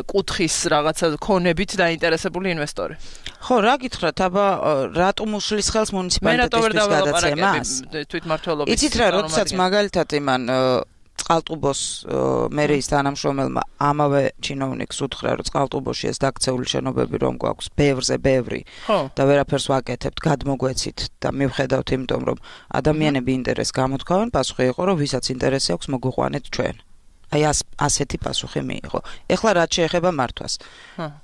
კუთხის რაღაცა ქონებით დაინტერესებული ინვესტორი? ხო, რა გითხრათ, აბა რატომ უშლის ხელს მუნიციპალიტეტისთვის გადაცემას? თვითმმართველობის. იცით რა, როდესაც მაგალითად იმან წყალტუბოს მერიის თანამშრომელმა ამავე ჩინოვნიკს უთხრა, რომ წყალტუბოში ეს დაქცეული შენობები რომ გვაქვს ბევრზე ბევრი და ვერაფერს ვაკეთებთ, გადმოგვეცით და მივხედავთ იმიტომ, რომ ადამიანები ინტერესს გამოთქვამენ, პასუხი იყო, რომ ვისაც ინტერესი აქვს, მოგვიყვანეთ ჩვენ. აი ასეთი პასუხი მიიღო. ეხლა რაც შეეხება მართვას.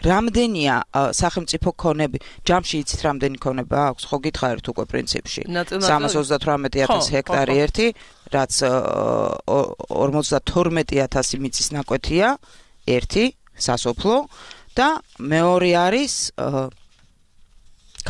რამდენია სახელმწიფო ქონები? ჯამში იცით რამდენი ქონება აქვს? ხო გითხარით უკვე პრინციპში. სამას ოცდათვრამეტი ათასი ჰექტარი ერთი, რაც ორმოცდათორმეტი ათასი მიწის ნაკვეთია, ერთი სასოფლო და მეორე არის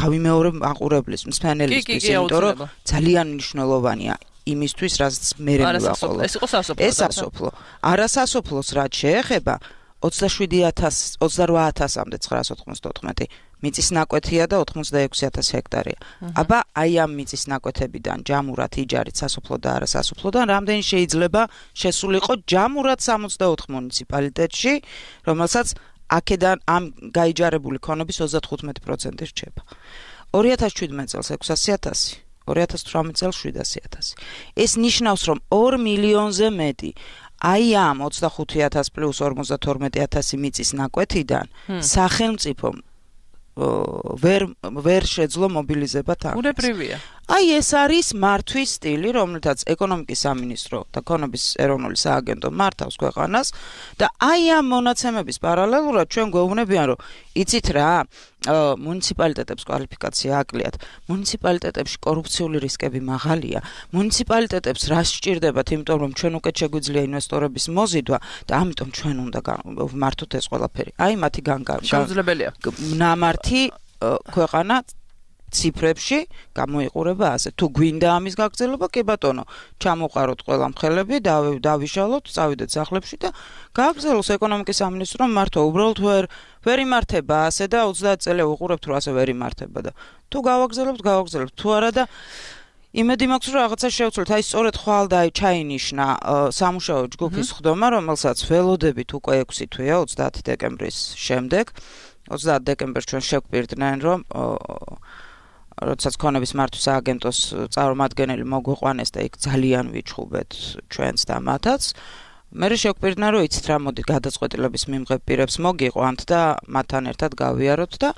გავიმეორებ მაყურებლის მსმენელისთვის, იმიტომ რომ ძალიან მნიშვნელოვანია იმისთვის, რაც მე მივაყოლო. ეს იყო სასოფლო. ეს სასოფლო. არასასოფლოს რაც შეეხება ოცდაშვიდი ათასი ოცდარვა ათასამდე ცხრაას ოთხმოცდაოთხმეტი მიწის ნაკვეთია და ოთხმოცდაექვსი ათასი ჰექტარია. აბა აი ამ მიწის ნაკვეთებიდან ჯამურად იჯარით სასოფლო და არასასოფლოდან რამდენი შეიძლება შესულიყო ჯამურად სამოცდაოთხ მუნიციპალიტეტში, რომელსაც აქედან ამ გაიჯარებული ქონების ოცდათხუთმეტი პროცენტი რჩება. ორი ათას შვიდმეტი წელს ექვსასი ათასი ორი ათას თვრამეტ წელს შვიდასი ათასი. ეს ნიშნავს, რომ ორ მილიონზე მეტი აი ამ ოცდახუთი ათას პლუს ორმოცდათორმეტი ათასი მიწის ნაკვეთიდან სახელმწიფომ ვერ ვერ შეძლო მობილიზება თავს. უნებრივია. აი ეს არის მართვის სტილი, რომელთაც ეკონომიკის სამინისტრო და ქონების ეროვნული სააგენტო მართავს ქვეყანას და აი ამ მონაცემების პარალელურად ჩვენ გვეუბნებიან, რომ იცით რა, მუნიციპალიტეტებს კვალიფიკაცია აკლიათ, მუნიციპალიტეტებში კორუფციული რისკები მაღალია, მუნიციპალიტეტებს რა სჭირდებათ, იმიტომ რომ ჩვენ უკეთ შეგვიძლია ინვესტორების მოზიდვა და ამიტომ ჩვენ უნდა ვმართოთ ეს ყველაფერი. აი მათი შეუძლებელია. ნამართი ქვეყანა ციფრებში გამოიყურება ასე. თუ გვინდა ამის გაგრძელება, კი ბატონო, ჩამოყაროთ ყველა მხელები, დავიშალოთ, წავიდეთ სახლებში და გააგრძელოს ეკონომიკის სამინისტრო მართვა. უბრალოდ ვერ ვერ იმართება ასე და ოცდაათ წელი უყურებთ, რომ ასე ვერ იმართება და თუ გავაგრძელებთ, გავაგრძელებთ. თუ არა და იმედი მაქვს, რომ რაღაცა შევცვლით. აი სწორედ ხვალ და ჩაინიშნა სამუშაო ჯგუფის ხდომა, რომელსაც ველოდებით უკვე ექვსი თვეა ოცდაათი დეკემბრის შემდეგ. ოცდაათი დეკემბერს ჩვენ შევკვირდნენ, რომ როდესაც ქონების მართვის სააგენტოს წარმომადგენელი მოგვიყვანეს და იქ ძალიან ვიჩხუბეთ ჩვენს და მათაც. მე შევკვირდნენ, რომ იცით რა, მოდი გადაწყვეტილების მიმღებ პირებს მოგიყვანთ და მათთან ერთად გავიაროთ და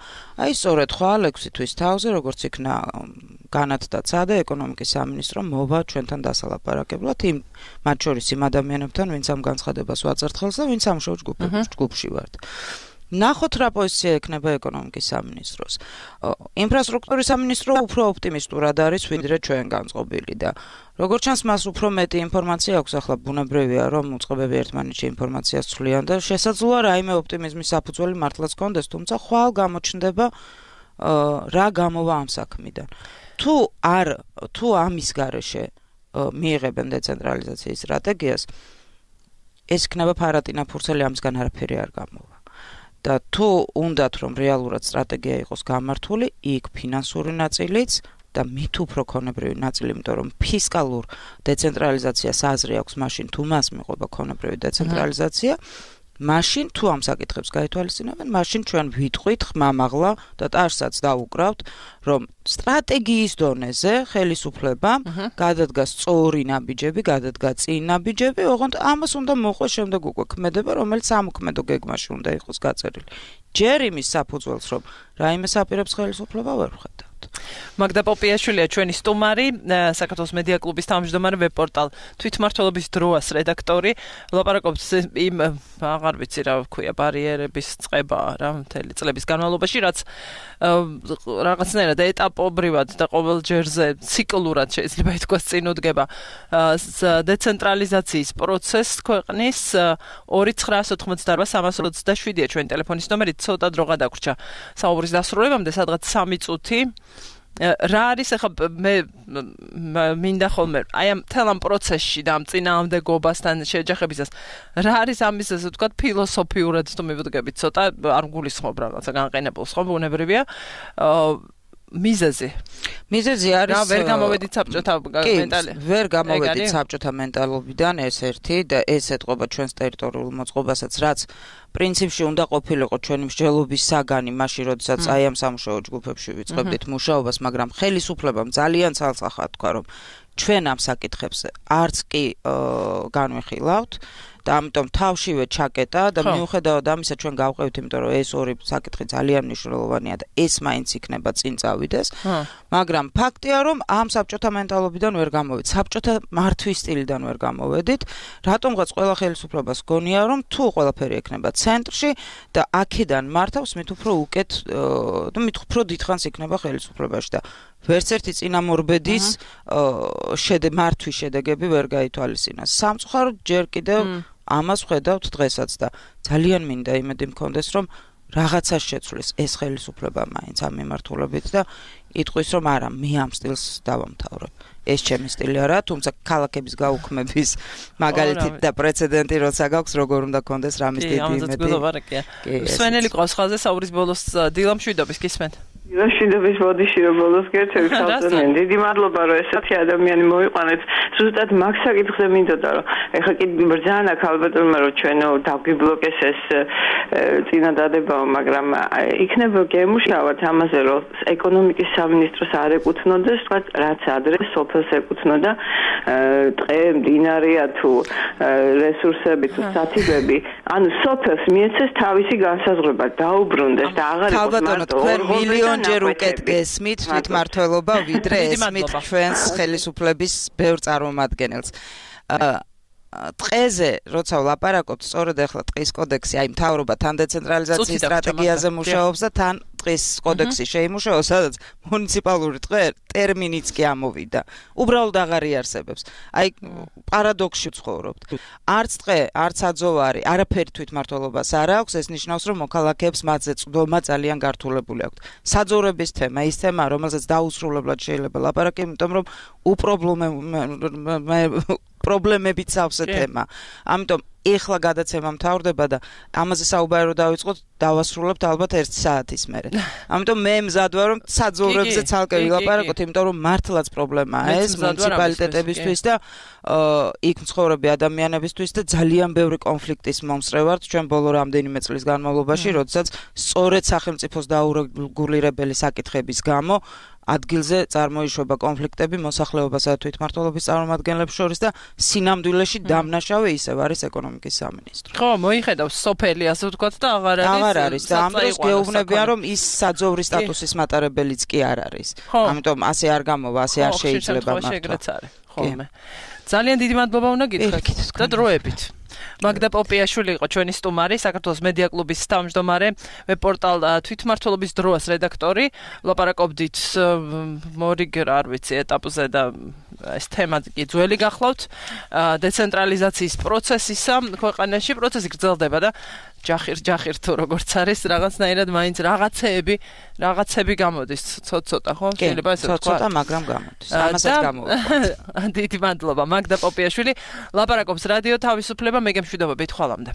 აი სწორედ ხვალ ექვსი თვის თავზე, როგორც იქნა განათდა ცადე ეკონომიკის სამინისტრო მოვა ჩვენთან დასალაპარაკებლად იმ მათ შორის იმ ადამიანებთან, ვინც ამ განცხადებას ვაწერთ ხელს და ვინც სამუშაო ჯგუფში ვართ. ნახოთ რა პოზიცია ექნება ეკონომიკის სამინისტროს. ინფრასტრუქტურის სამინისტრო უფრო ოპტიმისტურად არის ვიდრე ჩვენ განწყობილი და როგორც ჩანს მას უფრო მეტი ინფორმაცია აქვს, ახლა ბუნებრივია რომ უწყებები ერთმანეთში ინფორმაციას ცვლიან და შესაძლოა რაიმე ოპტიმიზმის საფუძველი მართლაც კონდეს, თუმცა ხვალ გამოჩნდება რა გამოვა ამ საქმიდან. თუ არ თუ ამის გარეშე მიიღებენ დეცენტრალიზაციის სტრატეგიას, ეს იქნება ფარატინა ფურცელი, ამისგან არაფერი არ გამოვა. და თუ უნდათ რომ რეალურად სტრატეგია იყოს გამართული, იქ ფინანსური ნაწილიც და მით უფრო ქონებრივი ნაწილი, იმიტომ რომ ფისკალურ დეცენტრალიზაციას აზრი აქვს, მაშინ თუ მას მიყვება ქონებრივი დეცენტრალიზაცია, მაშინ თუ ამ საკითხებს გაითვალისწინებენ, მაშინ ჩვენ ვიტყვით ხმამაღლა და ტარსაც დაუკრავთ, რომ სტრატეგიის დონეზე ხელისუფლებამ გადადგა სწორი ნაბიჯები, გადადგა წინ ნაბიჯები, ოღონდ ამას უნდა მოყვეს შემდეგ უკვე ქმედება, რომელიც სამოქმედო გეგმაში უნდა იყოს გაწერილი. ჯერ იმის საფუძველს, რომ რაიმე საპირებს ხელისუფლება ვერ ვხედავთ. მაგდა პოპიაშვილია ჩვენი სტუმარი, საქართველოს მედია კლუბის თავმჯდომარე, ვებ-პორტალ თვითმმართველობის დროას რედაქტორი. ლაპარაკობთ იმ აღარ ვიცი რა ვქვია, ბარიერების წყება რა მთელი წლების განმავლობაში, რაც რაღაცნაირად ეტაპობრივად და ყოველ ჯერზე ციკლურად შეიძლება ითქვას წინ უდგება დეცენტრალიზაციის პროცესს ქვეყნის. ორი ცხრაას ოთხმოცდაარბა სამას ოცდაშვიდია ჩვენი ტელეფონის ნომერი, ცოტა დრო გადაგვრჩა საუბრის დასრულებამდე, სადღაც სამი წუთი. რა არის ახლა მე მინდა ხოლმე აი ამ თელ ამ პროცესში და ამ წინააღმდეგობასთან შეჯახებისას რა არის ამის ასე ვთქვათ ფილოსოფიურად თუ მივდგებით ცოტა არ გულისხმობ რაღაცა განყენებულს ხო ბუნებრივია მიზეზი მიზეზი არის რა ვერ გამოვედით საბჭოთა მენტალობიდან ვერ გამოვედით საბჭოთა მენტალობიდან ეს ერთი და ეს ეთყობა ჩვენს ტერიტორიულ მოწყობასაც რაც პრინციპში უნდა ყოფილიყო ჩვენი მსჯელობის საგანი მაშინ როდესაც აი ამ სამუშაო ჯგუფებში ვიწყებდით მუშაობას, მაგრამ ხელისუფლებამ ძალიან ცალსახად თქვა რომ ჩვენ ამ საკითხებს არც კი განვიხილავთ და ამიტომ თავშივე ჩაკეტა და მიუხედავად ამისა ჩვენ გავყევთ, იმიტომ რომ ეს ორი საკითხი ძალიან მნიშვნელოვანია და ეს მაინც იქნება წინ წავიდეს, მაგრამ ფაქტია რომ ამ საბჭოთა მენტალობიდან ვერ გამოვედით, საბჭოთა მართვის სტილიდან ვერ გამოვედით, რატომღაც ყველა ხელისუფლებას გონია რომ თუ ყველაფერი ექნება ცენტრში და აქედან მართავს, მით უფრო უკეთ და მით უფრო დიდხანს იქნება ხელისუფლებაში და ვერც ერთი წინამორბედის მართვის შედეგები ვერ გაითვალისწინეს. სამწუხაროდ ჯერ კიდევ ამას ვხედავთ დღესაც და ძალიან მინდა იმედი მქონდეს რომ რაღაცას შეცვლის ეს ხელისუფლება მაინც ამ მიმართულებით და იტყვის რომ არა მე ამ სტილს დავამთავრებ. ეს ჩემი სტილი არა, თუმცა ქალაქების გაუქმების მაგალითით და პრეცედენტი როცა გაქვს როგორ უნდა კონდეს რამის დიდი იმედი. სვენელი ყავს ხალხზე საუბრის ბოლოს დილამშვიდობის გისმენთ. მშვიდობის ბოდიში რომ ბოლოს გერთები ხალხთან. დიდი მადლობა რომ ესეთი ადამიანი მოიყვანეთ. ზუსტად მაგ საკითხზე მინდოდა რომ ეხლა კი ბრძანა აქვს ალბათურმა რომ ჩვენო დავგიბლოკეს ეს წინა დადებაო, მაგრამ იქნება გემუშავათ ამაზე რომ ეკონომიკის სამინისტროს არ ეკუთვნოდეს, თქვა რაც ადრე სოფელს ეკუთვნოდა, ტყე, მდინარეა თუ რესურსები თუ სათიბები, ანუ სოფელს მიეცეს თავისი განსაზღვრება, დაუბრუნდეს და აღარ იყოს მარტო მილიონჯერ უკეთ გესმით თვითმმართველობა ვიდრე ესმით ჩვენს ხელისუფლების ბევრ წარმომადგენელს. ტყეზე როცა ვლაპარაკობთ, სწორედ ახლა ტყის კოდექსი, აი მთავრობა თან დეცენტრალიზაციის სტრატეგიაზე მუშაობს და თან ტყის კოდექსი შეიმუშაოს, სადაც მუნიციპალური ტყე ტერმინიც კი ამოვიდა. უბრალოდ აღარ იარსებებს. აი პარადოქსში ვცხოვრობთ. არც ტყე, არც აძოვარი, არაფერი თვითმმართველობას არ აქვს, ეს ნიშნავს, რომ მოქალაქეებს მათზე წვდომა ძალიან გართულებული აქვთ. საძოვრების თემა, ის თემა, რომელსაც დაუსრულებლად შეიძლება ლაპარაკი, იმიტომ რომ უპრობლემო პრობლემებით სავსე თემა. ამიტომ ეხლა გადაცემა მთავრდება და ამაზე საუბარი რომ დავიწყოთ, დავასრულებთ ალბათ ერთი საათის მერე. ამიტომ მე მზად ვარ რომ საძოვრებზე ცალკე ვილაპარაკოთ, იმიტომ რომ მართლაც პრობლემაა ეს მუნიციპალიტეტებისთვის და იქ მცხოვრები ადამიანებისთვის და ძალიან ბევრი კონფლიქტის მომსწრე ვართ ჩვენ ბოლო რამდენიმე წლის განმავლობაში, როდესაც სწორედ სახელმწიფოს დაურეგულირებელი საკითხების გამო ადგილზე წარმოიშვება კონფლიქტები მოსახლეობასა და თვითმმართველობის წარმომადგენლებს შორის და სინამდვილეში დამნაშავე ისევ არის ეკონომიკის სამინისტრო. ხო, მოიხედავს სოფელი ასე ვთქვათ და აღარ არის. აღარ არის და ამ დროს გეუბნებიან რომ ის საძოვრის სტატუსის მატარებელიც კი არ არის. ამიტომ ასე არ გამოვა, ასე არ შეიძლება მართლა. ხოლმე. ძალიან დიდი მადლობა უნდა გითხრათ და დროებით. მაგდა პოპიაშვილი იყო ჩვენი სტუმარი, საქართველოს მედია კლუბის თავმჯდომარე, ვებ-პორტალ თვითმმართველობის დროას რედაქტორი. ლაპარაკობდით მორიგერ არ ვიცი ეტაპზე და ეს თემა კი ძველი გახლავთ. დეცენტრალიზაციის პროცესისა ქვეყანაში პროცესი გრძელდება და ჯახირ ჯახირ თუ როგორც არის, რაღაცნაირად მაინც რაღაცეები, რაღაცები გამოდის, ცოტ-ცოტა, ხო? შეიძლება ესე ვთქვა. ცოტ-ცოტა, მაგრამ გამოდის. ამასაც გამოვა. დიდი მადლობა მაგდა პოპიაშვილი. ლაპარაკობს რადიო თავისუფლება, მე გემშვიდობებით, ხვალამდე.